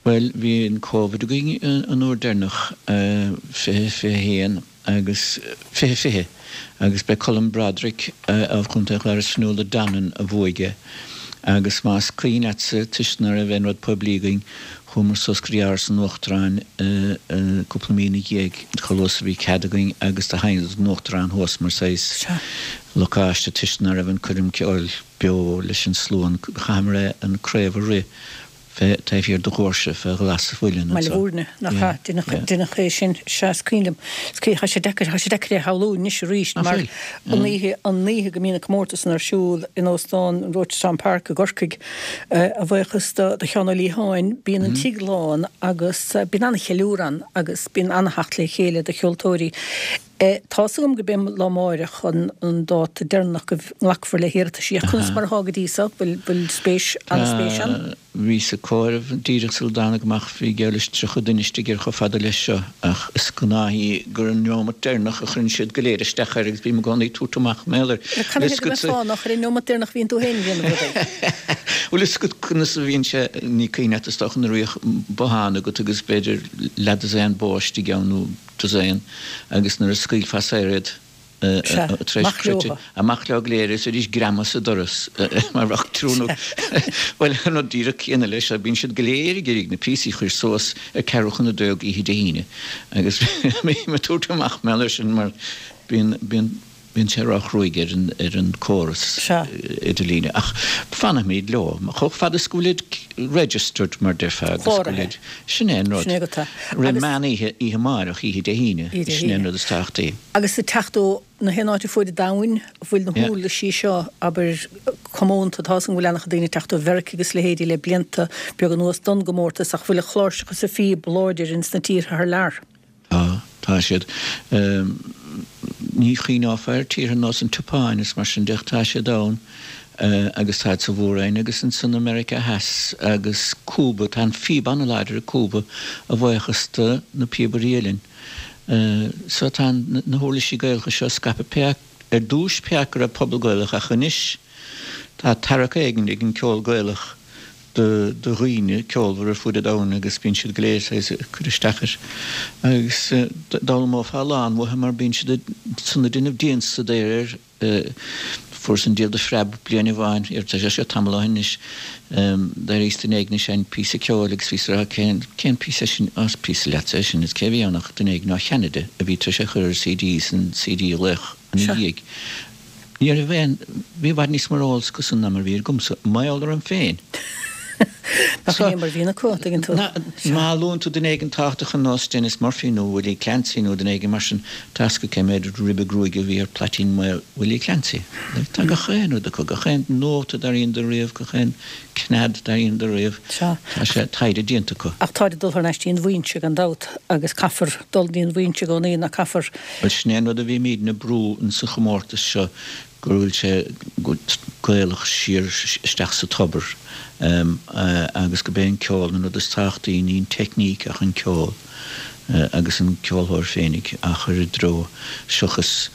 Speaker 7: Bhuel, bhí an Covid againn an uair deireanach, 20, 21. agus 20 20 agus b'é Colm Broderick of Chontae an Chláir as Fionnuala Donnan a bhuaigh é agus más cuimhin leatsa toisc ná raibh aon rud poiblí againn chuamar suas go dtí Áras an Uachtaráin cúpla mí ina dhiaidh chomh luath is a bhí cead againn agus do sheinn an Uachtarán thuas mar saghas locáiste toisc ná raibh an coirm ceoil beo leis an slua an chaitheamar é an craobh a rith fé taobh thiar de dhoirse fé ghlas an mhuilinn
Speaker 1: Baile anso. Bhúirne, nach ea? Deineadh, Yeah. deineadh é sin, sea, is cuimhin liom. Is cuimhin, tá sé deacair, tá sé deacair é a shamhlú anois arís
Speaker 7: Nach
Speaker 1: mar
Speaker 7: bhfuil?
Speaker 1: an oíche, an oíche go mbíonn an comórtas san ar siúl in Óstán an Rochestown Park i gCorcaigh, a bhuíochas do, do Sheán Ó Liatháin, bíonn an tigh lán agus bíonn an-cheiliúradh ann agus bíonn an-theacht le chéile do cheoltóirí. Tá's agam gurb é lá amáireach an dáta deireanach go nglacfar le hiarrataisí ach conas mar atá go dtí so? Bhfuil spéis, an-spéis ann?
Speaker 7: Bhíos ag comhaireamh díreach sula dtánag amach, bhí geall leis 30 duine istigh air chomh fada leis seo ach is gnáth í gur an neomat deireanach a chuireann siad go léir isteach air agus bím i gcónaí ag tabhairt amach mar gheall air.
Speaker 1: Cad é go mbeadh fáth nach ar an neomat deireanach a bhíonn tú féin ag déanamh rudaí?
Speaker 7: Bhuel is agat conas a bhíonn sé, ní cuimhin leat is dócha nuair a bhíodh bothán agat agus b'fhéidir leathdosaen bó istigh ann nó dosaen agus nuair a scaoilfeá saor iad tar éis cruite, amach leo go léir is arís greamaithe sa doras mar bheadh triúr nó bhuel an rud díreach céanna leis seo, bíonn siad go léir ag iarraidh na píosaí a chur suas ar ceathrú chun a dó oíche Dé hAoine agus bím ag tabhairt amach mar gheall air sin mar bíonn bíonn Bíonn sé róchruaidh ar an ar an córas idirlíne ach fanfaimid leo chomh fada is go bhfuilid registered mar déarfá agus go bhfuilid, sin é an rud.
Speaker 1: Sin é agat.
Speaker 7: Roimh meán oíche, oíche amárach, oíche Dé hAoine, sin é an rud is tábhachtaí.
Speaker 1: Agus ag teacht ó na haon áit ar fuaid an domhain, an bhfuil na huirlisí seo, abair, comónta, tá's agam go bhfuil an-chuid daoine ag teacht ó Mheiriceá agus leithéidí le blianta beaga anuas don gcomórtas ach bhfuil an chláirseach is an phíb láidir ins na tíortha thar lear?
Speaker 7: Tá, tá siad. Ní chuimhneofá ar tíortha ar nós an tSeapáin is mar sin de ach tá siad ann agus táid sa Mhór-Roinn agus ansan i Meiriceá Theas agus Cúba. Tá an phíb an-láidir i Cúba a bhuíochas do na píobairí uilleann. So tá na huirlisí Gaelacha seo scaipthe pé ar dtúis pé acu go raibh pobal Gaelach ach anois tá tarrac éigin ag an ceol Gaelach do dhaoine ceolmhar ar fuaid an domhain agus bíonn siad go léir saghas ag cur isteach air agus d'fhoghlaimeofá a lán uathu mar bíonn siad san ag déanamh dianstaidéir air. Fuaireas an diabhal de phreab bliain amháin, tá sé seo tamall ó shin anois, d'éiríos duine éigin ag seinnt píosa ceoil agus bhíos ag rá cén cén píosa é sin, á is píosa leatsa é sin is cé a bhí ann ach duine éigin ó Cheanada a bhí tar éis é a chur ar CD san CD a ghlaoch ina dhiaidh. Ní raibh aon, bhí i bhfad níos mó ar eolas acusan ná mar a bhí agamsa, mar gheall orm féin.
Speaker 1: Nach in é mar a bhíonn acu, an dtuigeann tú.
Speaker 7: Má luann tú duine éigin tábhachtach ar nós Denis Murphy nó Willie Clancy nó duine éigin mar sin, tá fhios acu cé méid ribe gruaige a bhí ar phlaitín maol Willie Clancy. Tá gach aon rud acu, gach aon nóta dar dheineadar riamh, gach aon cnead dar dheineadar riamh. Tá sé taighde
Speaker 1: déanta acu. Ach táid ag dul thar n-ais dtí an bhfoinse gan dabht agus caithfear dul dtí an bhfoinse i gcónaí, ná caithfear?
Speaker 7: Bhuel, sin é an rud a bhímídne ag brú in sa chomórtas seo, go bhfuil sé Gaelach siar isteach sa tobar agus gurb é an ceol an rud is tábhachtaí, ní an teicníc ach an ceol agus an ceolthóir féinig á chur i dtreo seachas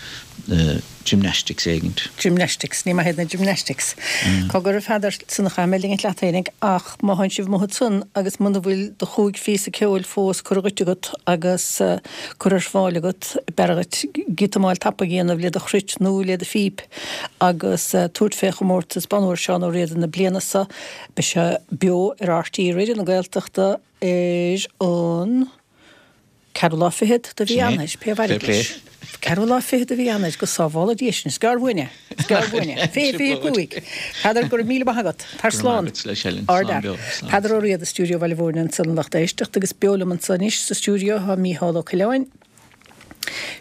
Speaker 7: gymnastics éigint.
Speaker 1: Gymnastics, ní maith iad na gymnastics. Cá gcuirfidh Peadar san a chaith mé linn leat fhéinig ach má thánn sibh amuigh ansan agus muna bhfuil do chúig phíosa ceoil fós curtha dhuit agat agus curtha ar fáil agat, b'fhearr dhuit giotamáil tapa a dhéanamh le do chruit nó le do phíp agus tabhairt fé chomórtas Bonn Óir Seán Ó Riada na bliana seo. Beidh sé beo ar RTÉ Raidió na Gaeltachta ar an ceathrú lá fichead de mhí Eanáir, pé a mhairfidh leis. Ceathrú lá fichead de mhí Eanáir, go sábhála Dia sinn. Is gearr uainn é. Is gearr uainn é. 20, 25. Peadar, go raibh míle maith agat. Tar
Speaker 7: Go raibh maith
Speaker 1: slán. agat leis, Helen. Slán Ard-fhear. beo. Slán. Peadar Ó Riada i stiúideo Bhaile Mhúirne ansan a lucht éisteachta agus beo liom anso anois sa stiúideo tá Mícheál Ó Coileáin,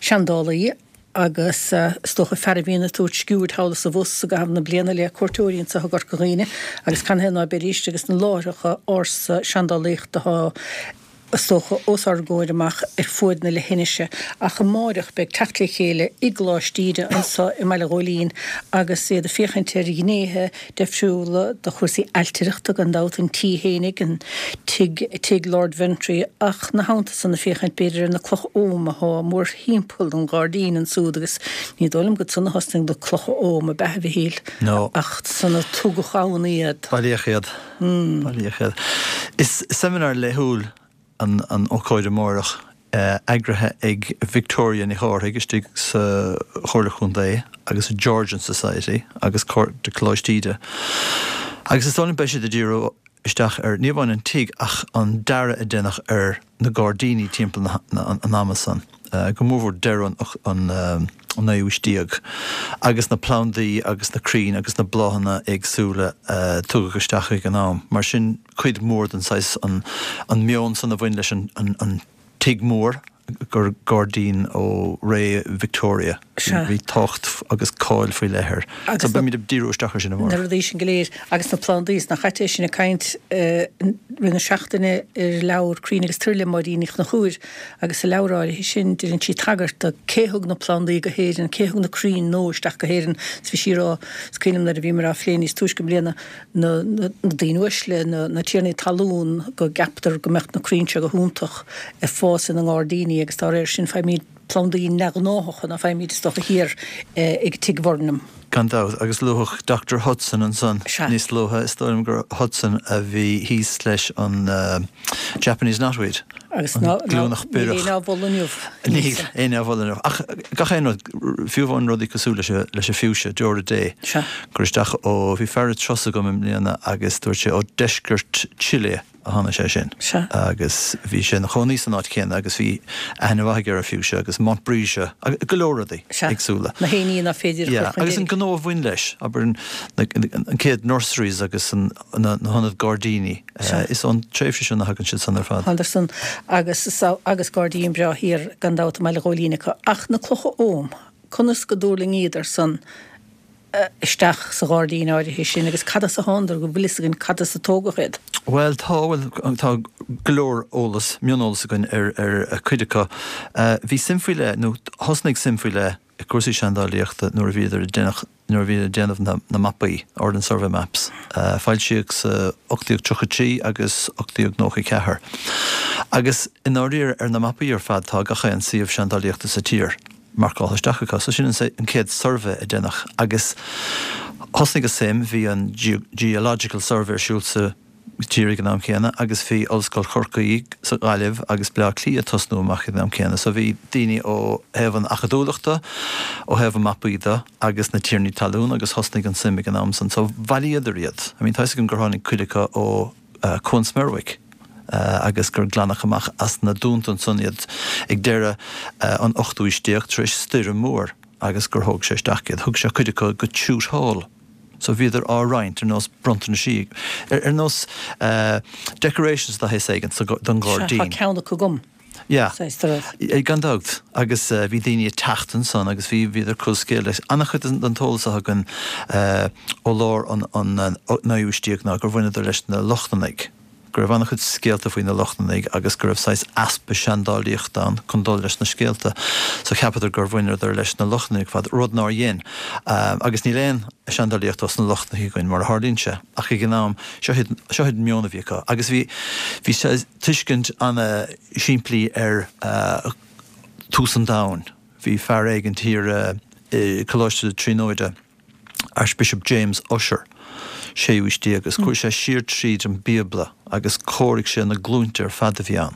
Speaker 1: seandálaí agus is dócha fear a bhíonn ag tabhairt sciuird thall is abhus i gcaitheamh na bliana le cuairteoirí anso i gCorca Dhuibhne agus can é ná beidís agus na láithreacha ársa seandálaíochta atá is dócha, os ár gcomhair amach ar fuaid na leithinise. Ach amáireach beidh teacht le chéile i gColáiste Íde anso i mBaile Ghóilín agus iad ag féachaint ar ghnéithe deifriúla de chúrsaí ailtireachta, gan dabht, an tí fhéinig, an tigh, tigh Lord Ventry, ach 'na theannta san ag féachaint b'fhéidir ar na clocha Ogham athá mórthimpeall an ghairdín ansúd agus ní dóigh liom gur ansan a thosnaigh na clocha Ogham, ab ea, a Mhichíl?
Speaker 8: No.
Speaker 1: Ach san a tugadh ann iad.
Speaker 8: Bailíodh iad. Bailíodh iad. Is seimineár laethúil an ócáid amárach, eagraithe ag Victoria Ní Chárthaigh istigh sa Chomhairle Chontae agus Georgian Society agus Cairde Coláiste Íde. Agus is dóigh liom beidh siad ag díriú isteach ar, ní amháin an tigh ach an dearadh a deineadh ar na gairdíní timpeall an ama san, go mórmhór deireadh an naoú haois déag, agus na plandaí agus na crainn agus na bláthanna éagsúla a tugadh isteach ag an am. Mar sin, cuid mhór den saghas, an meon san a bhain leis an tigh mór, gur gairdín ó ré Victoria.
Speaker 1: Sea.
Speaker 8: Bhí tábhacht agus cáil faoi leith air.
Speaker 1: Agus
Speaker 8: So beimid ag díriú isteach air sin
Speaker 1: Na
Speaker 8: amárach.
Speaker 1: rudaí sin go léir agus na plandaí, is nach ait é sinn ag caint i rith na seachtaine ar leabhar Crainn agus Toir le Máirín Ní Chonchúir agus sa leabhar áirithe sin deineann sí tagairt do cé thug na plandaí go hÉirinn, cé thug na crainn nua isteach go hÉirinn is bhí sí ag rá, is cuimhin liom nuair a bhíomar á phlé níos túisce i mbliana, na daoine uaisle, na tiarnaí talún, go gceaptar go mbeadh na crainn seo go hiontach ag fás ina ngairdíní agus dá réir sin faighimid plandaí neamhghnáthacha ná faighimid is dócha thiar ag Tigh Bhurnham.
Speaker 8: Gan dabht, agus luadh Doctor Hudson ansan
Speaker 1: Sea.
Speaker 8: níos luaithe, is dóigh liom gur Hudson a bhí thíos leis an Japanese knotweed.
Speaker 1: Agus ná,
Speaker 8: An glúineach
Speaker 1: níl
Speaker 8: biorach.
Speaker 1: éinne á mholadh inniu.
Speaker 8: Níl éinne á mholadh inniu. Ach gach aon rud, fiú amháin rudaí cosúil leis an, leis an fuchsia, deora Dé,
Speaker 1: Sea.
Speaker 8: gur isteach ó, bhí fear ag turas agam i mbliana agus dúirt sé ó deisceart Chile a tháinig sé sin.
Speaker 1: Sea.
Speaker 8: Agus bhí sé ina chónaí san áit chéanna agus bhí aithne mhaith aige ar an fuchsia agus montbretia agus go leor rudaí
Speaker 1: Sea.
Speaker 8: éagsúla.
Speaker 1: Na héiní ná féidir a chur
Speaker 8: Yeah,
Speaker 1: chun
Speaker 8: agus an
Speaker 1: deiridh.
Speaker 8: gnó a bhain leis, abair an, na, an chéad nurseries agus an, na, na hionaid gairdíní.
Speaker 1: Sea.
Speaker 8: Is ón tréimhse sin a thagann siad san ar fad.
Speaker 1: Anderson agus agus gairdín breá thiar gan dabht i mBaile Ghóilín acu. Ach na clocha Ogham, conas go dtuirlingíodar san isteach sa ghairdín áirithe sin agus cad as a thánadar, go bhfuil fhios againn cad as a tógadh iad?
Speaker 8: Bhuel tá, bhuel tá go leor eolas, mioneolas againn ar ar cuid acu. Bhí suim faoi leith, nó thosnaigh suim faoi leith i gcúrsaí seandálaíochta nuair a bhíodar ag déanamh nuair a bhíodar ag déanamh na na mapaí, Ordnance Survey Maps, a foilsíodh sa 1833 agus 1894. Agus i ndáiríre ar na mapaí ar fad tá gach aon suíomh seandálaíochta sa tír marcáltha isteach acu. So sin an an chéad suirbhé a deineadh agus thosnaigh an suim, bhí an Geological Survey ar siúl sa tír ag an am céanna agus bhí Ollscoil Chorcaí sa Ghaillimh agus Bleá Cliath ag tosnú amach ag an am céanna. So bhí daoine ó thaobh an acadúlachta, ó thaobh an mapaí de agus na tiarnaí talún agus thosnaigh an suim ag an am san. So bhailíodar iad. I mean tá 'fhios agam gur tháinig cuid acu ó Cuan Smerwick agus gur glanadh amach as na dúnta ansan iad ag deireadh an ochtú aois déag tar éis stoirm mhór agus gur thóg sé isteach iad. Thug sé cuid acu go Chute Hall. So bhíodar á roinnt ar nós bronntanaisí, ar nós decorations de shaghas éigin don
Speaker 1: Sea, tá
Speaker 8: ghairdín.
Speaker 1: ceann acu agam.
Speaker 8: Yeah.
Speaker 1: Saghas de rud.
Speaker 8: Gan dabht. Agus bhí daoine ag teacht ansan agus bhí, bhíodar ag cur scéal leis. An-chuid den t-eolas atá againn ó lár an naoú haois déag ná gur bhaineadar leis na Lochlannaigh. go raibh an-chuid scéalta faoi na Lochlannaigh agus go raibh saghas easpa seandálaíochta ann chun dul leis na scéalta. So cheapadar gur bhaineadar leis na Lochlannaigh ar fad, rud nár dhein. Agus níl aon seandálaíocht ós na Lochlannaigh againn, mar a tharlaíonn sé. Ach ag an am, seo iad, seo iad an meon a bhí acu. Agus bhí, bhí saghas tuiscint ana-shimplí ar tús an domhain. Bhí fear éigin thiar i Coláiste na Tríonóide, Archbishop James Ussher, séú haois déag, agus chuaigh sé siar tríd an Bíobla agus chomhair sé na glúinte ar fad a bhí ann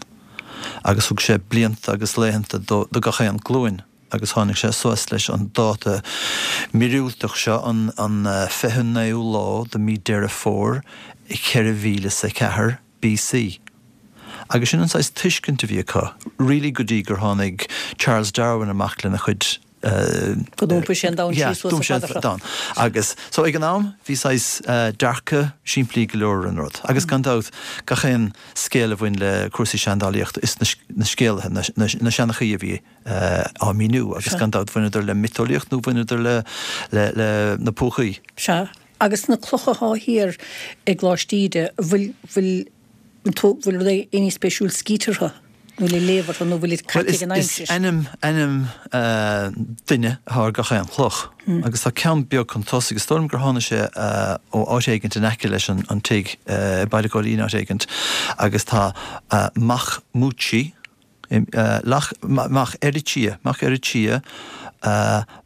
Speaker 8: agus thug sé blianta agus laethanta do gach aon glúin agus tháinig sé suas leis an dáta míorúilteach seo, an 29ú lá de mí Deireadh Fómhair 4004 BC. Agus sin an saghas tuiscint a bhí acu, really go dtí gur tháinig Charles Darwin amach lena chuid
Speaker 1: Go d'iompaigh sé an domhan síos suas an fada
Speaker 8: seo. Agus so ag an am bhí saghas dearcadh simplí go leor ar an rud. Agus gan dabht gach aon scéal a bhain le cúrsaí seandálaíochta is na scéalaithe, na seanchaí a bhí á míniú agus gan dabht bhaineadar le miotaseolaíocht nó bhaineadar le le na púcaí.
Speaker 1: Sea. Agus na clocha athá thiar i gColáiste Íde, bhfuil, bhfuil. Bhfuil rud éinín spéisiúil scríte orthu, nó le léamh orthu, nó bhfuil iad caite ag an
Speaker 8: aimsir? Is ainm, ainm duine atá ar gach aon chloch. Agus tá ceann beag chun tosaigh, is dóigh liom gur tháinig sé ó áit éigint in aice leis an tigh, i Baile Ghóilín áit éigint, agus tá Mac Múití, Mac Eiritia, Mac Eiritia,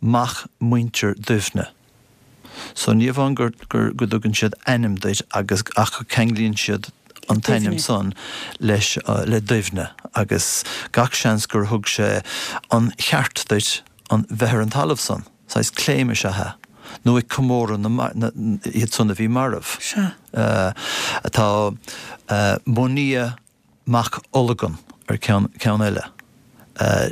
Speaker 8: mac muintir Duibhne. So ní amháin gur, gur, go dtugann siad ainm duit agus, ach go ceanglaíonn siad an t-ainm san leis, le Duibhne agus gach seans gur thug sé an cheart duit an, bheith ar an talamh san. Saghas claim is ea é. Nó ag comóradh na, na, iad san a bhí marbh.
Speaker 1: Sea.
Speaker 8: Tá Monia mac Olgan ar ceann ceann eile,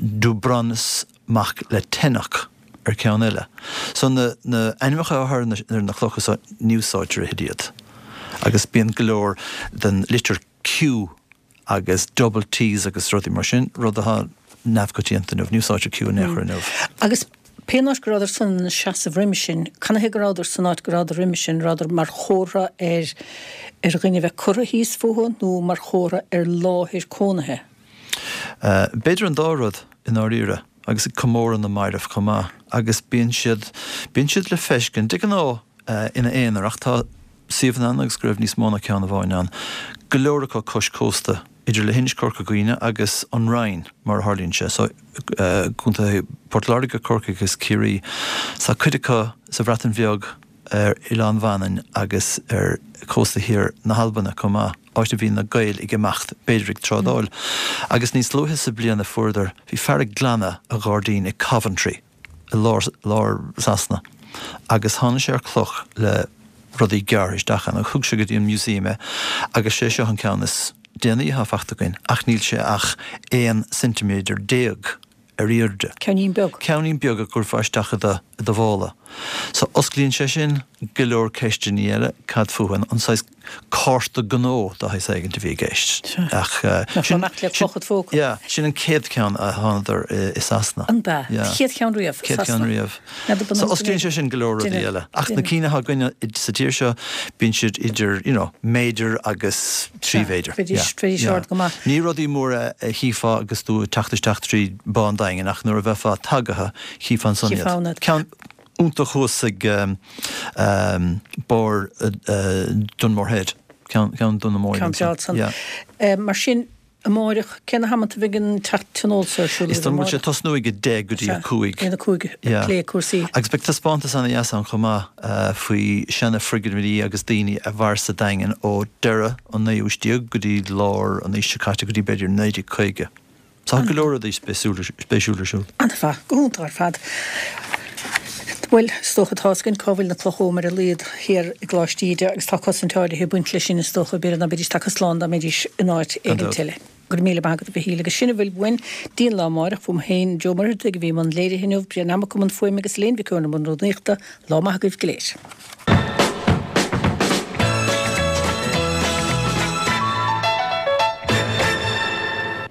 Speaker 8: Dubranus mac le Tenoch ar ceann eile. So na na ainmneacha atá ar na ar na clocha so ní úsáidtear a thuilleadh iad. Agus bíonn go leor den litir Q agus double Ts agus rudaí mar sin, rud atá neamhchoitianta inniu. Ní úsáidtear Q in aon chor inniu.
Speaker 1: Agus pén áit go rabhadar san ina seasamh roimhe sin, canathaobh go rabhadar san áit go rabhadar roimhe sin, rabhadar mar chomhartha ar ar dhuine a bheith curtha thíos fúthu nó mar chomhartha ar láthair cónaithe?
Speaker 8: B'fhéidir an dá rud, i ndáiríre, agus ag comóradh na mairbh chomh maith. Agus bíonn siad, bíonn siad le feiscint, de ghnáth, ina aonar, ach tá suíomhanna ann agus go raibh níos mó ná ceann amháin ann, go leor acu cois cósta. idir leithinis Chorca Dhuibhne agus an Rinn, mar a tharlaíonn sé, so contaetha Port Láirge, Corcaigh agus Ciarraí. Tá cuid acu sa Bhreatain Bheag, ar Oileán Mhanainn agus ar chósta thiar na hAlban chomh maith, áit a bhí na Gaeil ag imeacht, b'fhéidir ag trádáil. Agus níos luaithe sa bliain a fuaireadar, bhí fear ag glanadh a ghairdín i Coventry, i lár, lár Sasana agus tháinig sé ar cloch le rudaí gearrtha isteach ann agus thug sé go dtí an museum é agus sé seo an ceann is déanaí atá fachta againn ach níl sé ach 11 ceintiméadar ar airde.
Speaker 1: Ceainnín beag.
Speaker 8: Ceainnín beag a gcuirfeá isteach i do, i do mhála. So osclaíonn sé sin go leor ceisteanna eile, cad fúthu, an saghas cárta gnó de shaghas éigint a bhí i gceist. Ach
Speaker 1: sin,
Speaker 8: yeah, sin an chéad cheann a thánadar i Sasana.
Speaker 1: An b'ea? Yeah. Chéad cheann riamh
Speaker 8: i Sasana. Chéad cheann riamh. So osclaíonn sé sin go leor rudaí eile. Ach na cinn atá againne sa tír seo, bíonn siad idir, you know, méadar agus 3 mhéadar.
Speaker 1: Bheidís, bheidís ard go maith.
Speaker 8: Ní rudaí móra a chífeá agus tú ag teacht isteach trí Bá an Daingin ach nuair a bheifeá tagaithe, chífeá ansan iad. Ceann iontach thuas ag barr Dunmore Head, ceann Dún na Móine.
Speaker 1: Ceann breá ansan. Yeah. Mar sin, amáireach, cé na hamanta a bheidh an tionól so ar siúl
Speaker 8: Is dóigh liom go bhfuil sé ag tosnú ag 10 go dtí 5.
Speaker 1: Ag a 5 ag plé cúrsaí.
Speaker 8: Agus beidh taispeántas ana-dheas ann chomh maith faoi seana foirgnimh agus daoine a mhair sa Daingean ó deireadh an naoú haois déag go dtí lár an aois seo caite, go dtí b'fhéidir 1950. Tá go leor rudaí spéisiúla ar siúl.
Speaker 1: An-mhaith. Go hiontach ar fad. Bhuel, is dócha tá fhios againn cá bhfuil na clocha oghaim ar a laghad thiar i gColáiste Íde agus tá cosaint áirithe ag baint leis sin is dócha, b'fhéidir ná beidís tagtha slán dá mbeidís in áit éigint eile. Go raibh míle maith agat a Mhichíl agus sin a bhfuil uainn dtí an lá amáireach. Uaim féin, Joe Muircheartaigh a bhí i mbun léirithe inniu, Brian Mac i mbun fuaime agus Elaine Mhic Eoin i mbun rúnaíochta. Lá maith agaibh go léir.